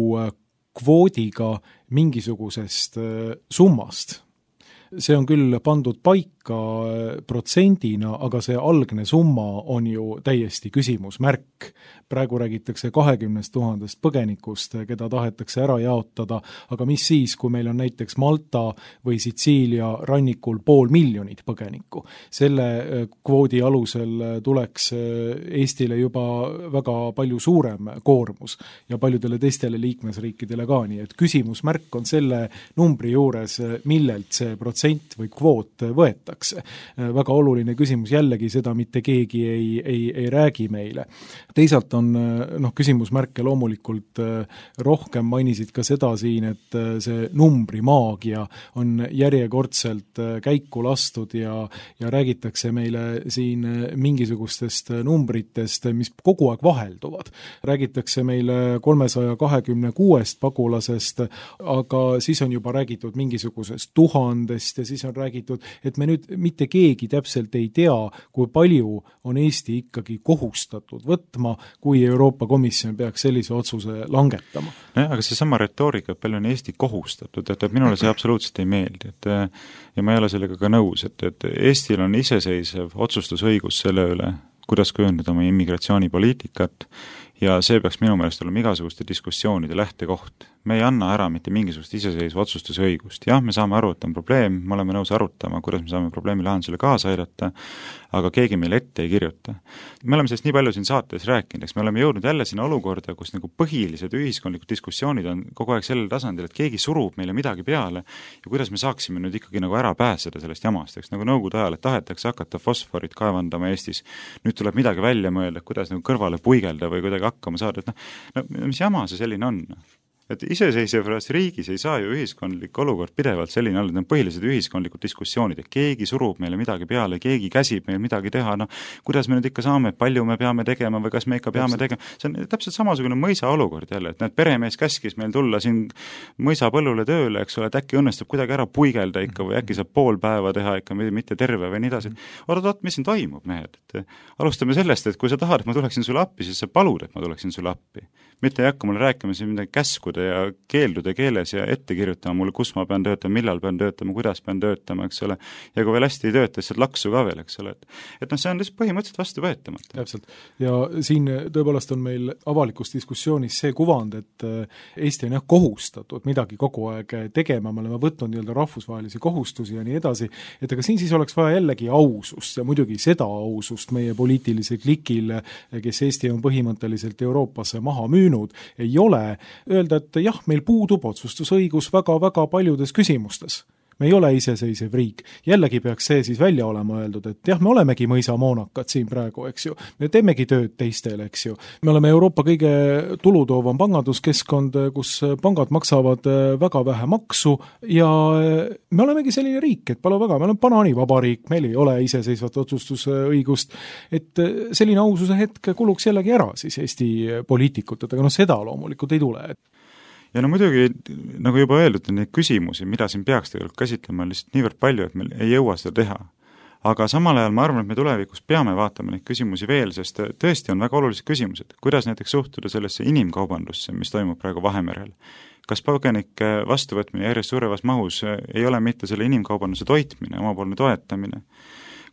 kvoodiga mingisugusest summast. See on küll pandud paika protsendina, aga see algne summa on ju täiesti küsimusmärk. Praegu räägitakse 20 000 põgenikust, keda tahetakse ära jaotada, aga mis siis, kui meil on näiteks Malta või Sitsiilia rannikul 500 000 põgenikku. Selle kvoodi alusel tuleks Eestile juba väga palju suurem koormus ja paljudele teistele liikmesriikidele ka, nii et küsimusmärk on selle numbri juures, millelt see protsent või kvoot võetakse. Väga oluline küsimus, jällegi seda mitte keegi ei räägi meile. Teisalt on küsimusmärke loomulikult rohkem, mainisid ka seda siin, et see numbrimaagia on järjekordselt käiku lastud ja räägitakse meile siin mingisugustest numbritest, mis kogu aeg vahelduvad. Räägitakse meile 326 pagulasest, aga siis on juba räägitud mingisugusest 1000 ja siis on räägitud, et me nüüd mitte keegi täpselt ei tea, kui palju on Eesti ikkagi kohustatud võtma, kui Euroopa Komisjon peaks sellise otsuse langetama. Nojah, aga see sama retoorika, et palju on Eesti kohustatud, et minule see absoluutselt ei meeldi, ja ma ei ole sellega ka nõus, et Eestil on iseseisev otsustusõigus selle üle, kuidas kujundada oma immigratsioonipoliitikat ja see peaks minu meelest olema igasuguste diskussioonide lähtekoht. Me ei anna ära mitte mingisugust iseseisva otsustusõigust. Jah, me saame aru, et on probleem, me oleme nõus arutama, kuidas me saame probleemi lahendusele kaasa aidata, aga keegi meile ette ei kirjuta. Me oleme sellest nii palju siin saates rääkinud, eks me oleme jõudnud jälle sinna olukorda, kus nagu põhilised ühiskondlikud diskussioonid on kogu aeg sellel tasandil, et keegi surub meile midagi peale ja kuidas me saaksime nüüd ikkagi nagu ära pääseda sellest jamast, eks nagu nõukogude ajal, et tahetakse hakata fosforit kaevandama Eestis. Nüüd tuleb midagi välja mõelda, kuidas nagu kõrvale puigelda või kuidagi hakkama saada, et mis jama see selline on? Et iseseisvas riigis ei saa ju ühiskondlik olukord pidevalt selline olla, et need põhilised ühiskondlikud diskussioonid, et keegi surub meile midagi peale, keegi käsib meil midagi teha, kuidas me nüüd ikka saame, palju me peame tegema või kas me ikka peame tegema, see on täpselt samasugune mõisa olukord jälle, et need peremees käskis meil tulla siin mõisapõllule tööle, eks ole, et äkki õnnestub kuidagi ära puigelda ikka või äkki saab pool päeva teha ikka, mitte terve või nii edasi. Oot, mis siin toimub, mehed? Alustame sellest, et kui sa tahad, et ma tuleksin sulle appi, siis sa palud, et ma tuleksin sulle appi. Mitte ei hakka mulle rääkima siin midagi käskude ja keeldude keeles ja ette kirjutama mulle, kus ma pean töötama, millal pean töötama, kuidas pean töötama, eks ole. Ja kui veel hästi ei tööta, siis laksu ka veel, eks ole. Et see on lihtsalt põhimõtteliselt vastu võetamata. Täpselt. Ja siin tõepoolest on meil avalikus diskussioonis see kuvand, et Eesti on kohustatud midagi kogu aeg tegema, me oleme võtnud rahvusvahelisi kohustusi ja nii edasi, et aga siin siis oleks vaja jällegi ausust ja muidugi seda ausust meie poliitilise klikil, kes Eesti on põhimõtteliselt Euroopasse maha müünud, ei ole öelda, et jah, meil puudub otsustusõigus väga-väga paljudes küsimustes. Me ei ole iseseisev riik. Jällegi peaks see siis välja olema öeldud, et jah, me olemegi mõisamoonakad siin praegu, eks ju. Me teemegi tööd teistel, eks ju. Me oleme Euroopa kõige tulutoovam panganduskeskkond, kus pangad maksavad väga vähe maksu ja me olemegi selline riik, et palju väga, me oleme banaanivabariik, meil ei ole iseseisvat otsustusõigust, et selline aususe hetk kuluks jällegi ära siis Eesti poliitikut, aga seda loomulikult ei tule. Ja muidugi, nagu juba öeldud, neid küsimusi, mida siin peaks tegelikult käsitlema, on lihtsalt niivõrd palju, et meil ei jõua seda teha. Aga samal ajal ma arvan, et me tulevikus peame vaatama neid küsimusi veel, sest tõesti on väga olulised küsimused. Kuidas näiteks suhtuda sellesse inimkaubandusse, mis toimub praegu Vahemerel? Kas põgenike vastuvõtmine järjest suurevas mahus ei ole mitte selle inimkaubanduse toitmine, omapoolne toetamine?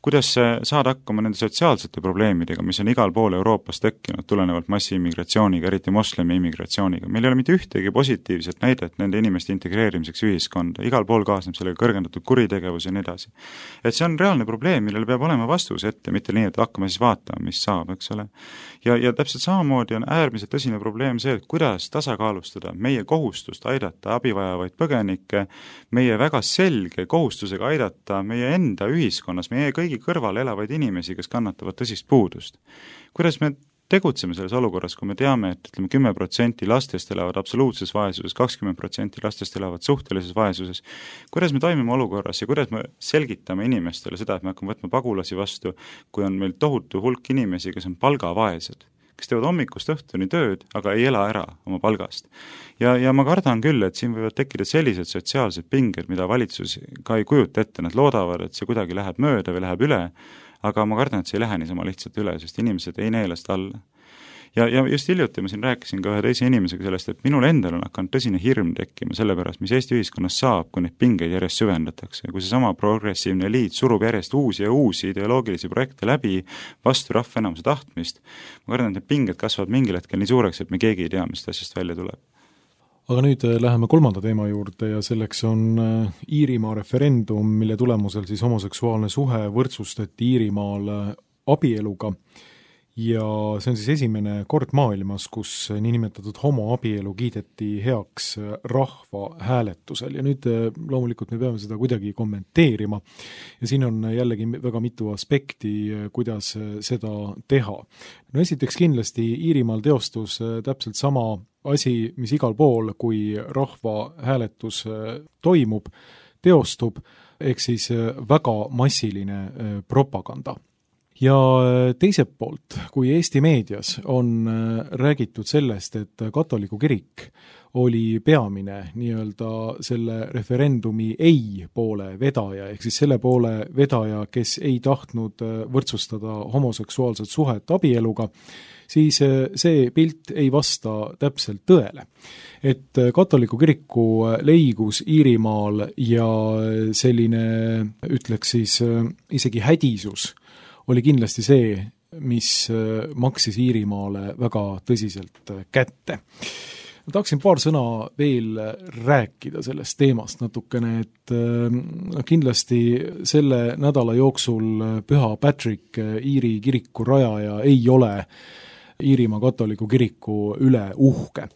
kuidas saada hakkama nende sotsiaalsete probleemidega, mis on igal pool Euroopas tekkinud tulenevalt massiimmigratsiooniga, eriti moslemi immigratsiooniga. Meil ei ole mitte ühtegi positiivset näidet nende inimeste integreerimiseks ühiskonda, igal pool kaasneb sellega kõrgendatud kuritegevus ja nii edasi. Et see on reaalne probleem, millele peab olema vastus ette, mitte nii, et hakkame siis vaatama, mis saab, eks ole. Ja täpselt samamoodi on äärmiselt tõsine probleem see, et kuidas tasakaalustada meie kohustust aidata abivajavaid põgenikke, meie väga selge kohustusega aidata meie enda ühiskonnas, meie kõigi kõrval elavaid inimesi, kes kannatavad tõsist puudust. Kuidas me tegutseme selles olukorras, kui me teame, et 10% lastest elavad absoluutses vaesuses, 20% lastest elavad suhtelises vaesuses. Kuidas me toimime olukorras ja kuidas me selgitame inimestele seda, et me hakkame võtma pagulasi vastu, kui on meil tohutu hulk inimesi, kes on palgavaesed, kes teevad hommikust õhtuni tööd, aga ei ela ära oma palgast. Ja ma kardan küll, et siin võivad tekkida sellised sotsiaalsed pinged, mida valitsus ka ei kujuta ette, nad loodavad, et see kuidagi läheb mööda või läheb üle, aga ma kardan, et see ei lähe niisama lihtsalt üle, sest inimesed ei neela seda alla. Ja just hiljuti ma siin rääkisin ka ühe teise inimesega sellest, et minul endal on hakanud tõsine hirm tekkima selle pärast, mis Eesti ühiskonnas saab, kui neid pingeid järjest süvendatakse. Kui see sama progressiivne eliit surub järjest uusi ja uusi ideoloogilisi projekte läbi vastu rahvaenamuse tahtmist, ma kardan, et need pinged kasvavad mingil hetkel nii suureks, et me keegi ei tea, mis asjast välja tuleb. Aga nüüd läheme kolmanda teema juurde ja selleks on Iirimaa referendum, mille tulemusel siis homoseksuaalne suhe võrdsustati Iirimaal abieluga. Ja see on siis esimene kord maailmas, kus niinimetatud homoabielu kiideti heaks rahva hääletusel ja nüüd loomulikult me peame seda kuidagi kommenteerima ja siin on jällegi väga mitu aspekti, kuidas seda teha. No esiteks kindlasti Iirimaal teostus täpselt sama asi, mis igal pool, kui rahva hääletus toimub, teostub, ehk siis väga massiline propaganda. Ja teiselt poolt, kui Eesti meedias on räägitud sellest, et katoliku kirik oli peamine nii-öelda selle referendumi ei poole vedaja, ehk siis selle poole vedaja, kes ei tahtnud võrdsustada homoseksuaalset suhet abieluga, siis see pilt ei vasta täpselt tõele. Et katoliku kiriku leigus Iirimaal ja selline, ütleks siis isegi hädisus, oli kindlasti see, mis maksis Iirimaale väga tõsiselt kätte. Ma tahaksin paar sõna veel rääkida sellest teemast natukene, et kindlasti selle nädala jooksul Püha Patrick, Iiri kiriku rajaja, ei ole Iirimaa katoliku kiriku üle uhke.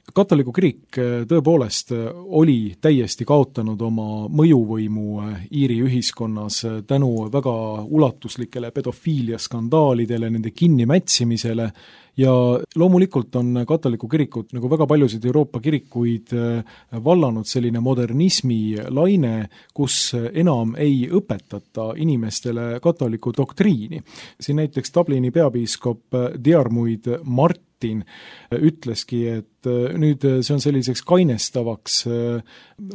Katoliku kirik tõepoolest oli täiesti kaotanud oma mõjuvõimu Iiri ühiskonnas tänu väga ulatuslikele pedofiiliaskandaalidele, nende kinnimätsimisele ja loomulikult on katoliku kirikut, nagu väga paljusid Euroopa kirikuid, vallanud selline modernismi laine, kus enam ei õpetata inimestele katoliku doktriini. Siin näiteks Dublini peapiiskop Diarmuid Martin ütleski, et nüüd see on selliseks kainestavaks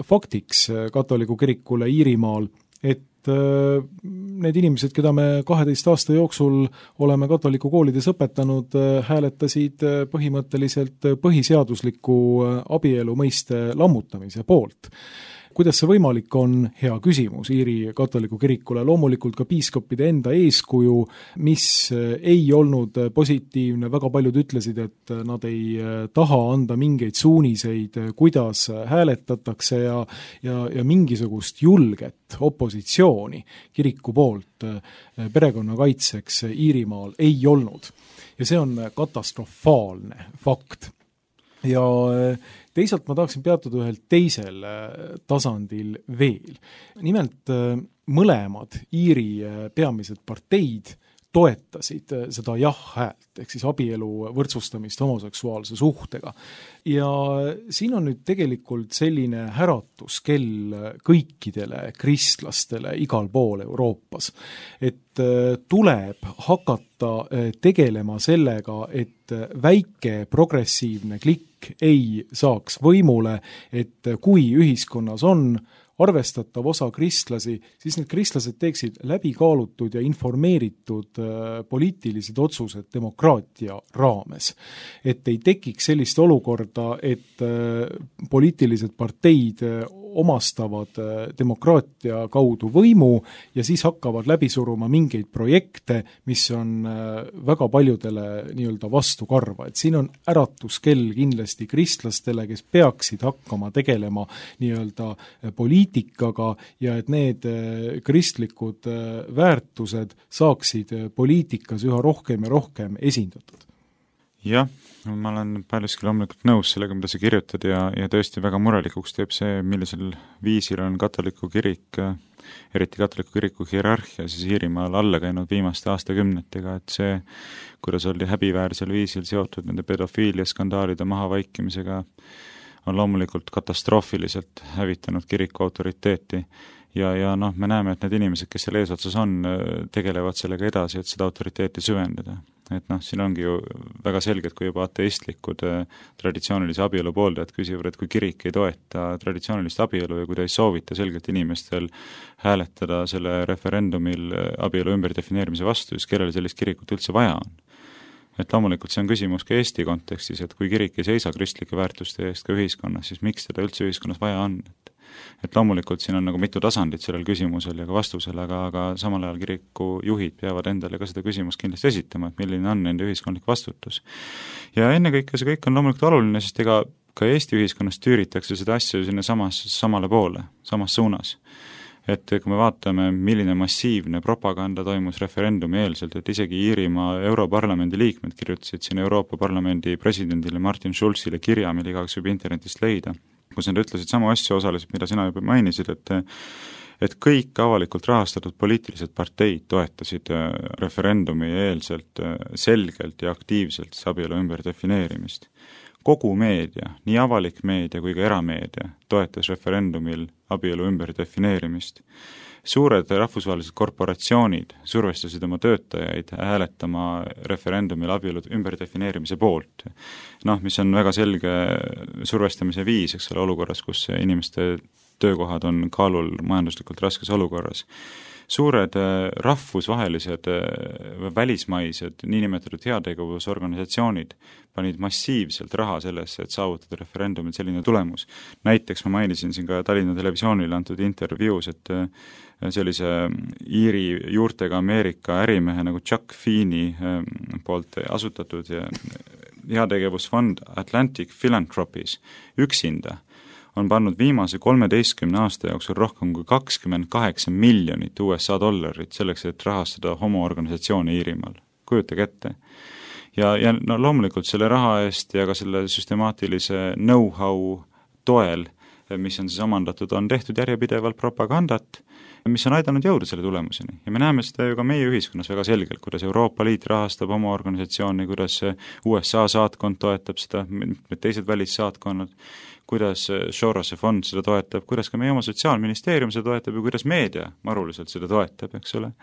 faktiks katoliku kirikule Iirimaal, et need inimesed, keda me 12 aasta jooksul oleme katoliku koolides õpetanud, hääletasid põhimõtteliselt põhiseadusliku abielu mõiste lammutamise poolt. Kuidas see võimalik on? Hea küsimus Iiri katoliku kirikule. Loomulikult ka piiskopide enda eeskuju, mis ei olnud positiivne. Väga paljud ütlesid, et nad ei taha anda mingeid suuniseid, kuidas hääletatakse ja mingisugust julget opositsiooni kiriku poolt perekonna kaitseks Iirimaal ei olnud. Ja see on katastrofaalne fakt. Ja teisalt ma tahaksin peatuda ühel teisel tasandil veel. Nimelt mõlemad Iiri peamised parteid toetasid seda jah-häält, ehk siis abielu võrdsustamist homoseksuaalse suhtega. Ja siin on nüüd tegelikult selline äratuskell kõikidele kristlastele igal pool Euroopas, et tuleb hakata tegelema sellega, et väike progressiivne klikk ei saaks võimule, et kui ühiskonnas on arvestatav osa kristlasi, siis need kristlased teeksid läbikaalutud ja informeeritud poliitilised otsused demokraatia raames. Et ei tekiks sellist olukorda, et poliitilised parteid omastavad demokraatia kaudu võimu ja siis hakkavad läbi suruma mingeid projekte, mis on väga paljudele nii-öelda vastukarva. Et siin on äratuskell kindlasti kristlastele, kes peaksid hakkama tegelema nii-öelda poliitikaga ja et need kristlikud väärtused saaksid poliitikas üha rohkem ja rohkem esindatud. Jah, ma olen paljuski loomulikult nõus sellega, mida sa kirjutad ja tõesti väga murelikuks teeb see, millisel viisil on katoliku kirik, eriti katoliku kiriku hierarhia siis Iirimaal alla käinud viimaste aastakümnetega, et see, kuidas oli häbiväärsel viisil seotud nende pedofiilia skandaalide mahavaikimisega, on loomulikult katastroofiliselt hävitanud kiriku autoriteeti ja noh, me näeme, et need inimesed, kes seal eesotsas on, tegelevad sellega edasi, et seda autoriteeti süvendada. Et noh, siin ongi ju väga selged, kui juba ateistlikud traditsioonilise abielu pooldajad küsivad, et kui kirik ei toeta traditsioonilist abielu ja kui ta ei soovita selgelt inimestel hääletada selle referendumil abielu ümberdefineerimise vastu, siis kellele sellist kirikut üldse vaja on. Et loomulikult see on küsimus ka Eesti kontekstis, et kui kirik ei seisa kristlike väärtuste eest ka ühiskonnas, siis miks teda üldse ühiskonnas vaja on? Et loomulikult siin on nagu mitu tasandit sellel küsimusel ja ka vastusel, aga samal ajal kiriku juhid peavad endale ka seda küsimust kindlasti esitama, et milline on nende ühiskondlik vastutus. Ja ennekõike see kõik on loomulikult oluline, sest ega ka Eesti ühiskonnas tüüritakse seda asja sinna samale poole, samas suunas. Et kui me vaatame, milline massiivne propaganda toimus referendumi eelselt, et isegi Iirimaa Europarlamendi liikmed kirjutasid siin Euroopa Parlamendi presidendile Martin Schulzile kirja, mille igaüks võib internetist leida, kus nad ütlesid samu asju osaliselt, mida sina juba mainisid, et kõik avalikult rahastatud poliitilised parteid toetasid referendumi eelselt selgelt ja aktiivselt abielu ümberdefineerimist. Kogu meedia, nii avalik meedia kui ka erameedia toetas referendumil abielu ümberdefineerimist. Suured rahvusvahelised korporatsioonid survestasid oma töötajaid hääletama referendumil abielu ümberdefineerimise poolt. Noh, mis on väga selge survestamise viis, eks ole, olukorras, kus inimeste töökohad on kaalul majanduslikult raskes olukorras. Suured rahvusvahelised välismaised niinimetatud heategevusorganisatsioonid panid massiivselt raha sellesse, et saavutada referendumil selline tulemus. Näiteks ma mainisin siin ka Tallinna Televisioonile antud intervjuus, et sellise Iiri juurtega Ameerika ärimehe nagu Chuck Feeney poolt asutatud heategevusfond Atlantic Philanthropies üksinda on pannud viimase 13 aasta jooksul rohkem kui 28 miljonit USA dollarit selleks, et rahastada homoorganisatsiooni Iirimaal. Kujutage ette. Ja no, loomulikult selle raha eest ja ka selle süstemaatilise know-how toel, mis on siis omandatud, on tehtud järjepidevalt propagandat, mis on aidanud jõuda selle tulemuseni. Ja me näeme seda ju ka meie ühiskonnas väga selgelt, kuidas Euroopa Liit rahastab oma organisatsiooni, kuidas USA saatkond toetab seda, teised välissaatkonnad, kuidas Sorose fond seda toetab, kuidas ka meie oma Sotsiaalministeerium seda toetab ja kuidas meedia maruliselt seda toetab, eks ole.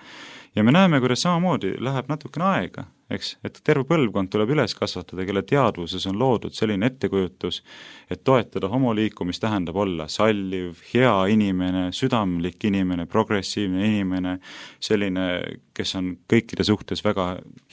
Ja me näeme, kuidas samamoodi läheb natukene aega, eks, et terve põlvkond tuleb üles kasvatada, kelle teadvuses on loodud selline ettekujutus, et toetada homoliikumist tähendab olla salliv, hea inimene, südamlik inimene, progressiivne inimene, selline, kes on kõikide suhtes väga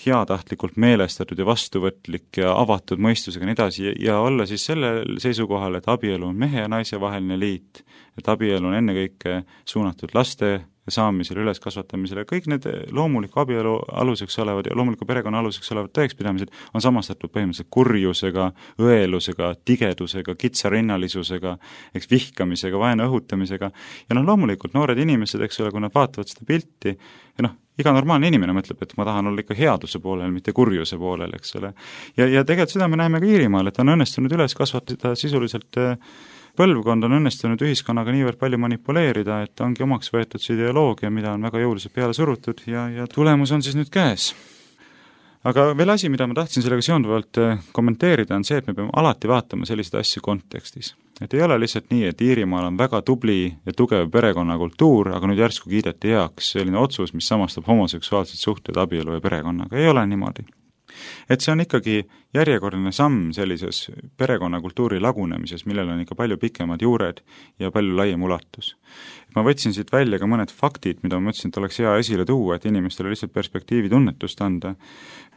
heatahtlikult meelestatud ja vastuvõtlik ja avatud mõistusega nii edasi ja olla siis sellel seisukohal, et abielu on mehe ja naise vaheline liit, et abielu on ennekõike suunatud laste saamisele, üleskasvatamisele, kõik need loomuliku abielu aluseks olevad ja loomuliku perekonna aluseks olevad tõekspidamised on samastatud põhimõtteliselt kurjusega, õelusega, tigedusega, kitsarinnalisusega, eks vihkamisega, vaenu õhutamisega ja noh, loomulikult noored inimesed, eks ole, kui nad vaatavad seda pilti ja noh, iga normaalne inimene mõtleb, et ma tahan olla ikka headuse poolel, mitte kurjuse poolel, eks ole. Ja tegelikult seda me näeme ka Iirimaal, et on õnnestunud üles kasvatada sisuliselt põlvkond on õnnestunud ühiskonnaga niivõrd palju manipuleerida, et ongi omaks võetud see ideoloogia, mida on väga jõuliselt peale surutud ja tulemus on siis nüüd käes. Aga veel asi, mida ma tahtsin sellega seonduvalt kommenteerida, on see, et me peame alati vaatama selliseid asju kontekstis. Et ei ole lihtsalt nii, et Iirimaal on väga tubli ja tugev perekonnakultuur, aga nüüd järsku kiideti heaks selline otsus, mis samastab homoseksuaalsed suhted abielu ja perekonnaga. Ei ole niimoodi. Et see on ikkagi järjekordne samm sellises perekonnakultuuri lagunemises, millel on ikka palju pikemad juured ja palju laiem ulatus. Ma võtsin siit välja ka mõned faktid, mida ma mõtlesin, et oleks hea esile tuua, et inimestele lihtsalt perspektiivi tunnetust anda.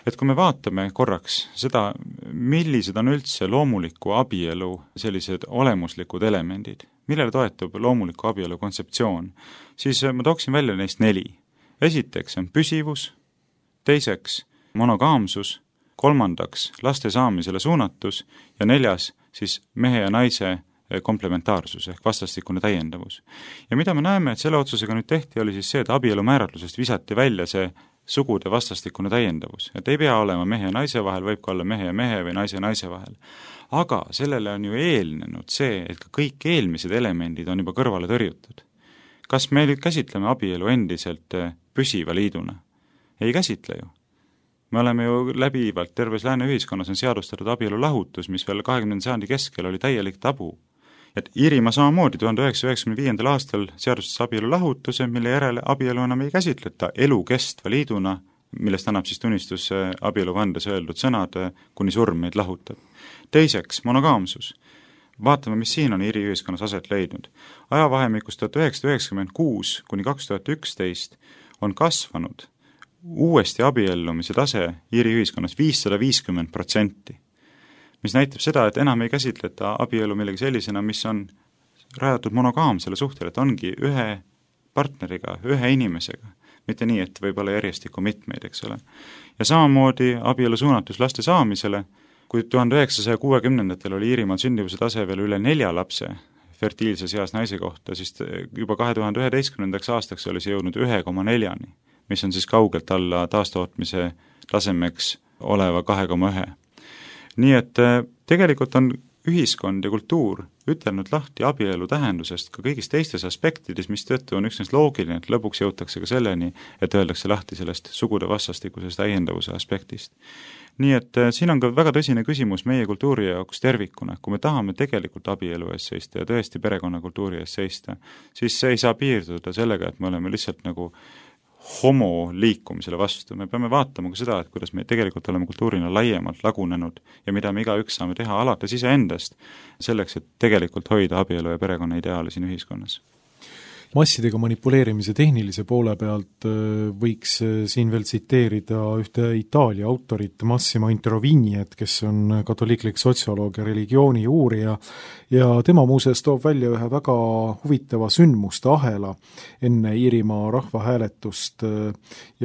Et kui me vaatame korraks seda, millised on üldse loomuliku abielu sellised olemuslikud elemendid, millele toetub loomuliku abielu kontseptsioon, siis ma tooksin välja neist 4. Esiteks on püsivus, teiseks monogaamsus, 3. laste saamisele suunatus ja 4. siis mehe ja naise komplementaarsus ehk vastastikune täiendavus. Ja mida me näeme, et selle otsusega nüüd tehti, oli siis see, et abielu määratlusest visati välja see sugude vastastikune täiendavus. Et ei pea olema mehe ja naise vahel, võib ka olla mehe ja mehe või naise ja naise vahel. Aga sellele on ju eelnenud see, et ka kõik eelmised elemendid on juba kõrvale tõrjutud. Kas me nüüd käsitleme abielu endiselt püsiva liiduna? Ei käsitle ju. Me oleme ju läbivalt, terves lääne ühiskonnas on seadustatud abielu lahutus, mis veel 20. sajandi keskel oli täielik tabu. Et Iirimaa samamoodi 1995. aastal seadustas abielu lahutuse, mille järele abielu enam ei käsitleta elukestva liiduna, millest annab siis tunnistus abieluvandes öeldud sõnad, kuni surm meid lahutab. Teiseks, monogaamsus. Vaatame, mis siin on Iiri ühiskonnas aset leidnud. Ajavahemikus 1996 kuni 2011 on kasvanud uuesti abiellumise tase Iiri ühiskonnas 550%, mis näitab seda, et enam ei käsitleta abielu millegi sellisena, mis on rajatud monogaamsele suhtele, et ongi ühe partneriga, ühe inimesega, mitte nii, et võib olla järjestikku mitmeid, eks ole. Ja samamoodi abielu suunatus laste saamisele, kui 1960-ndatel oli Iirimaal sündivuse tase veel üle 4 lapse fertiilses eas naise kohta, siis juba 2011. aastaks oli see jõudnud 1,4-ni, mis on siis kaugelt alla taastootmise tasemeks oleva 2,1. Nii et tegelikult on ühiskond ja kultuur ütelnud lahti abielu tähendusest ka kõigis teistes aspektides, mis tõttu on üksnes loogiline, et lõpuks jõutakse ka selleni, et öeldakse lahti sellest sugude vastastikusest täiendavuse aspektist. Nii et siin on ka väga tõsine küsimus meie kultuuri jaoks tervikuna. Kui me tahame tegelikult abielu ees seista ja tõesti perekonnakultuuri ees seista, siis see ei saa piirduda sellega, et me oleme lihtsalt nagu homo liikumisele vastu. Me peame vaatama ka seda, et kuidas me tegelikult oleme kultuurina laiemalt lagunenud ja mida me igaüks saame teha alates iseendast selleks, et tegelikult hoida abielu ja perekonna ideaali siin ühiskonnas. Massidega manipuleerimise tehnilise poole pealt võiks siin veel tsiteerida ühte Itaalia autorit Massimo Introvigniet, kes on katoliiklik sotsioloog ja religiooni uurija ja tema muuseas toob välja ühe väga huvitava sündmuste ahela enne Iirimaa rahvahääletust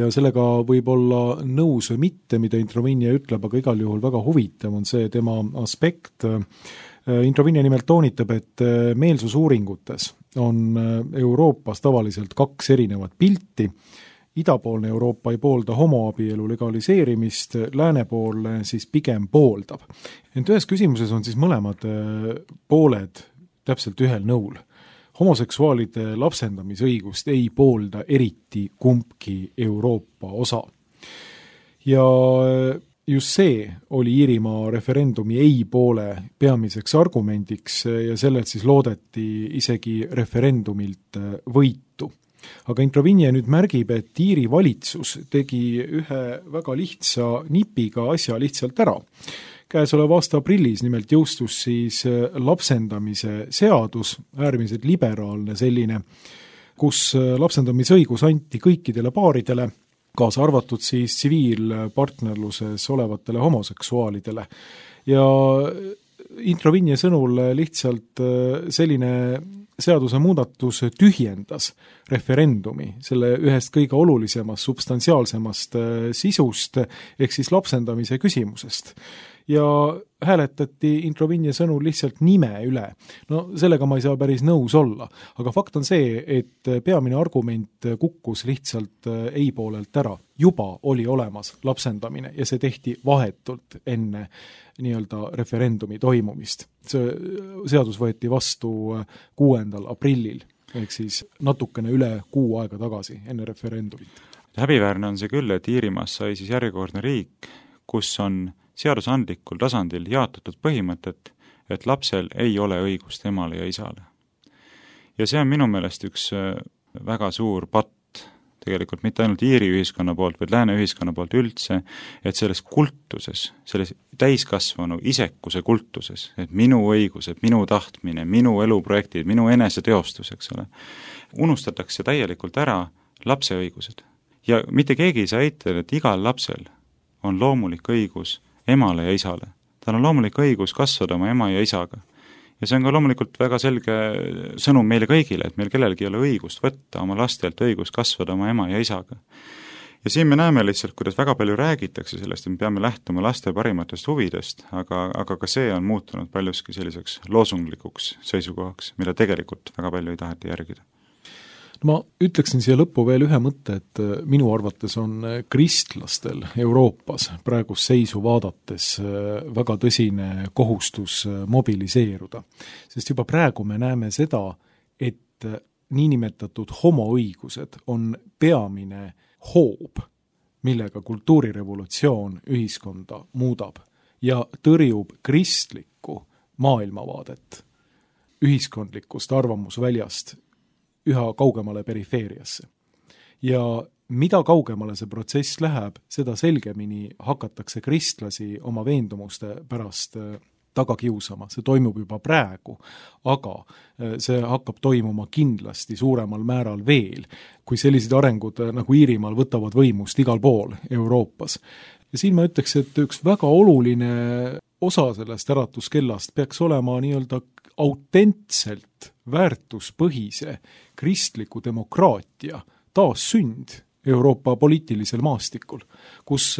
ja sellega võib olla nõus või mitte, mida Introvignie ütleb, aga igal juhul väga huvitav on see tema aspekt. Introvignie nimelt toonitab, et meelsusuuringutes on Euroopas tavaliselt 2 erinevat pilti. Idapoolne Euroopa ei poolda homoabielu legaliseerimist, läänepoolne siis pigem pooldab. Ent ühes küsimuses on siis mõlemad pooled täpselt ühel nõul. Homoseksuaalide lapsendamisõigust ei poolda eriti kumbki Euroopa osa. Ja just see oli Iirimaa referendumi ei poole peamiseks argumendiks ja sellelt siis loodeti isegi referendumilt võitu. Aga Introvignie nüüd märgib, et Iiri valitsus tegi ühe väga lihtsa nipiga asja lihtsalt ära. Käesoleva aasta aprillis nimelt jõustus siis lapsendamise seadus, äärmiselt liberaalne selline, kus lapsendamisõigus anti kõikidele paaridele, kaasa arvatud siis tsiviilpartnerluses olevatele homoseksuaalidele. Ja Introvignie sõnul lihtsalt selline seaduse muudatus tühjendas referendumi selle ühest kõige olulisemast, substantsiaalsemast sisust, ehk siis lapsendamise küsimusest. Ja hääletati Introvignie sõnul lihtsalt nime üle. No sellega ma ei saa päris nõus olla, aga fakt on see, et peamine argument kukkus lihtsalt ei poolelt ära. Juba oli olemas lapsendamine ja see tehti vahetult enne nii-öelda referendumi toimumist. See seadus võeti vastu 6. aprillil, ehk siis natukene üle kuu aega tagasi enne referendumit. Häbiväärne on see küll, et Iirimaas sai siis järjekordne riik, kus on seadusandlikul tasandil jaotatud põhimõtet, et lapsel ei ole õigust emale ja isale. Ja see on minu meelest üks väga suur patt tegelikult mitte ainult Iiri ühiskonna poolt, vaid lääne ühiskonna poolt üldse, et selles kultuses, selles täiskasvanu isekuse kultuses, et minu õigused, minu tahtmine, minu eluprojektid, minu eneseteostus, eks ole, unustatakse täielikult ära lapse õigused. Ja mitte keegi ei saa eitada, et igal lapsel on loomulik õigus emale ja isale. Tal on loomulik õigus kasvada oma ema ja isaga. Ja see on ka loomulikult väga selge sõnum meile kõigile, et meil kellelgi ei ole õigust võtta oma lastelt õigust kasvada oma ema ja isaga. Ja siin me näeme lihtsalt, kuidas väga palju räägitakse sellest, et me peame lähtuma laste parimatest huvidest, aga ka see on muutunud paljuski selliseks loosunglikuks seisukohaks, mida tegelikult väga palju ei taheta järgida. Ma ütleksin siia lõppu veel ühe mõtte, et minu arvates on kristlastel Euroopas praegust seisu vaadates väga tõsine kohustus mobiliseeruda. Sest juba praegu me näeme seda, et niinimetatud homoõigused on peamine hoob, millega kultuurirevolutsioon ühiskonda muudab ja tõrjub kristlikku maailmavaadet ühiskondlikust arvamusväljast üha kaugemale perifeeriasse. Ja mida kaugemale see protsess läheb, seda selgemini hakatakse kristlasi oma veendumuste pärast taga kiusama. See toimub juba praegu, aga see hakkab toimuma kindlasti suuremal määral veel, kui sellised arengud nagu Iirimaal võtavad võimust igal pool Euroopas. Ja siin ma ütleks, et üks väga oluline osa sellest äratuskellast peaks olema nii-öelda autentselt väärtuspõhise kristliku demokraatia taassünd Euroopa poliitilisel maastikul, kus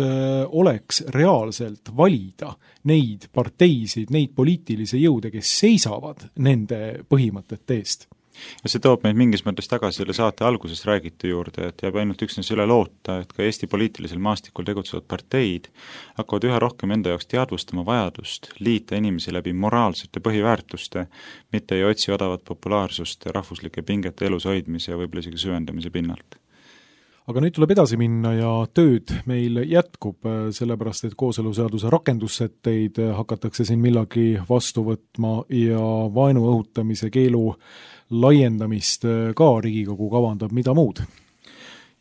oleks reaalselt valida neid parteisid, neid poliitilisi jõude, kes seisavad nende põhimõtete eest. Ja see toob meid mingis mõttes tagasi selle saate algusest räägitu juurde, et jääb ainult üksnes üle loota, et ka Eesti poliitilisel maastikul tegutsevad parteid hakkavad üha rohkem enda jaoks teadvustama vajadust liita inimesi läbi moraalsete põhiväärtuste, mitte ei otsi odavat populaarsust rahvuslike pingete elus hoidmise ja võib-olla isegi süvendamise pinnalt. Aga nüüd tuleb edasi minna ja tööd meil jätkub, sellepärast et kooseluseaduse rakendussätteid hakatakse siin millagi vastu võtma ja vaenu õhutamise keelu laiendamist ka Riigikogu kavandab, mida muud?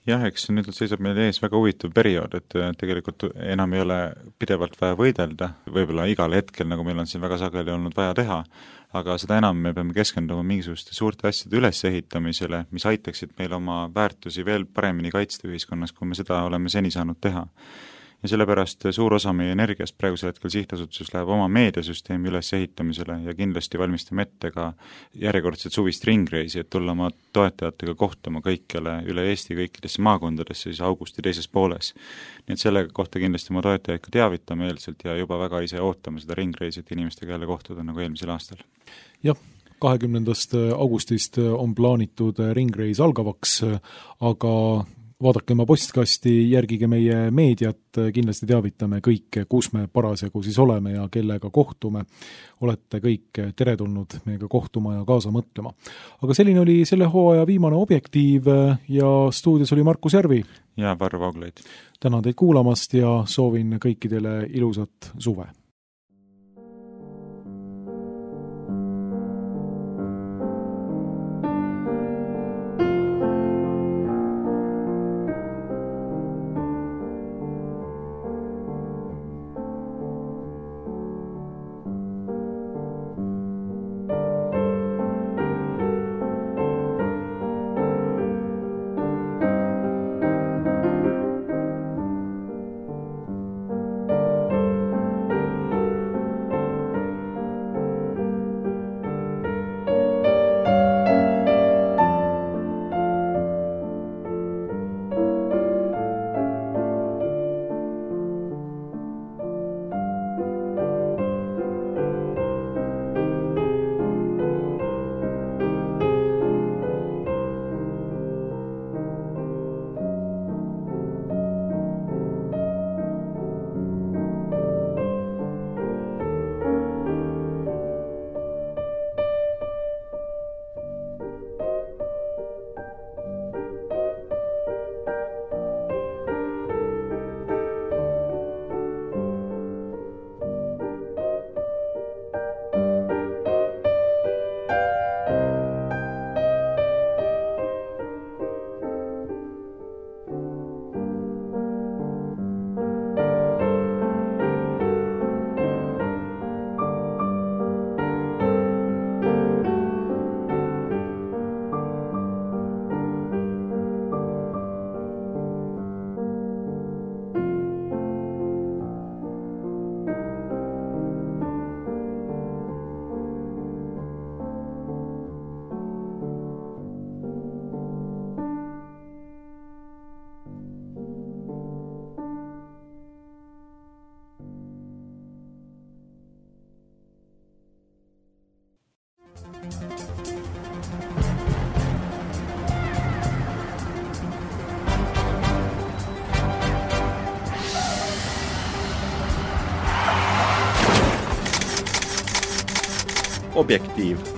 Jah, eks nüüd seisab meil ees väga huvitav periood, et tegelikult enam ei ole pidevalt vaja võidelda, võib-olla igal hetkel, nagu meil on siin väga sageli olnud vaja teha, aga seda enam me peame keskenduma mingisuguste suurte asjade ülesehitamisele, mis aitaksid meil oma väärtusi veel paremini kaitsta ühiskonnas, kui me seda oleme seni saanud teha. Ja sellepärast suur osa meie energiast praegusel hetkel sihtasutuses läheb oma meediasüsteemi ülesehitamisele ja kindlasti valmistame ette ka järjekordset suvist ringreisi, et tulla oma toetajatega kohtuma kõikjale üle Eesti kõikidesse maakondadesse siis augusti teises pooles. Nii et selle kohta kindlasti oma toetajaid ka teavitame eelselt ja juba väga ise ootame seda ringreisi, et inimestega jälle kohtuda nagu eelmisel aastal. Jah, 20. augustist on plaanitud ringreis algavaks, aga vaadake oma postkasti, järgige meie meediat, kindlasti teavitame kõike, kus me parasjagu siis oleme ja kellega kohtume. Olete kõik teretulnud meiega kohtuma ja kaasa mõtlema. Aga selline oli selle hooaja viimane Objektiiv ja stuudios oli Markus Järvi. Ja Varro Vooglaid. Tänan teid kuulamast ja soovin kõikidele ilusat suve. Objektiiv.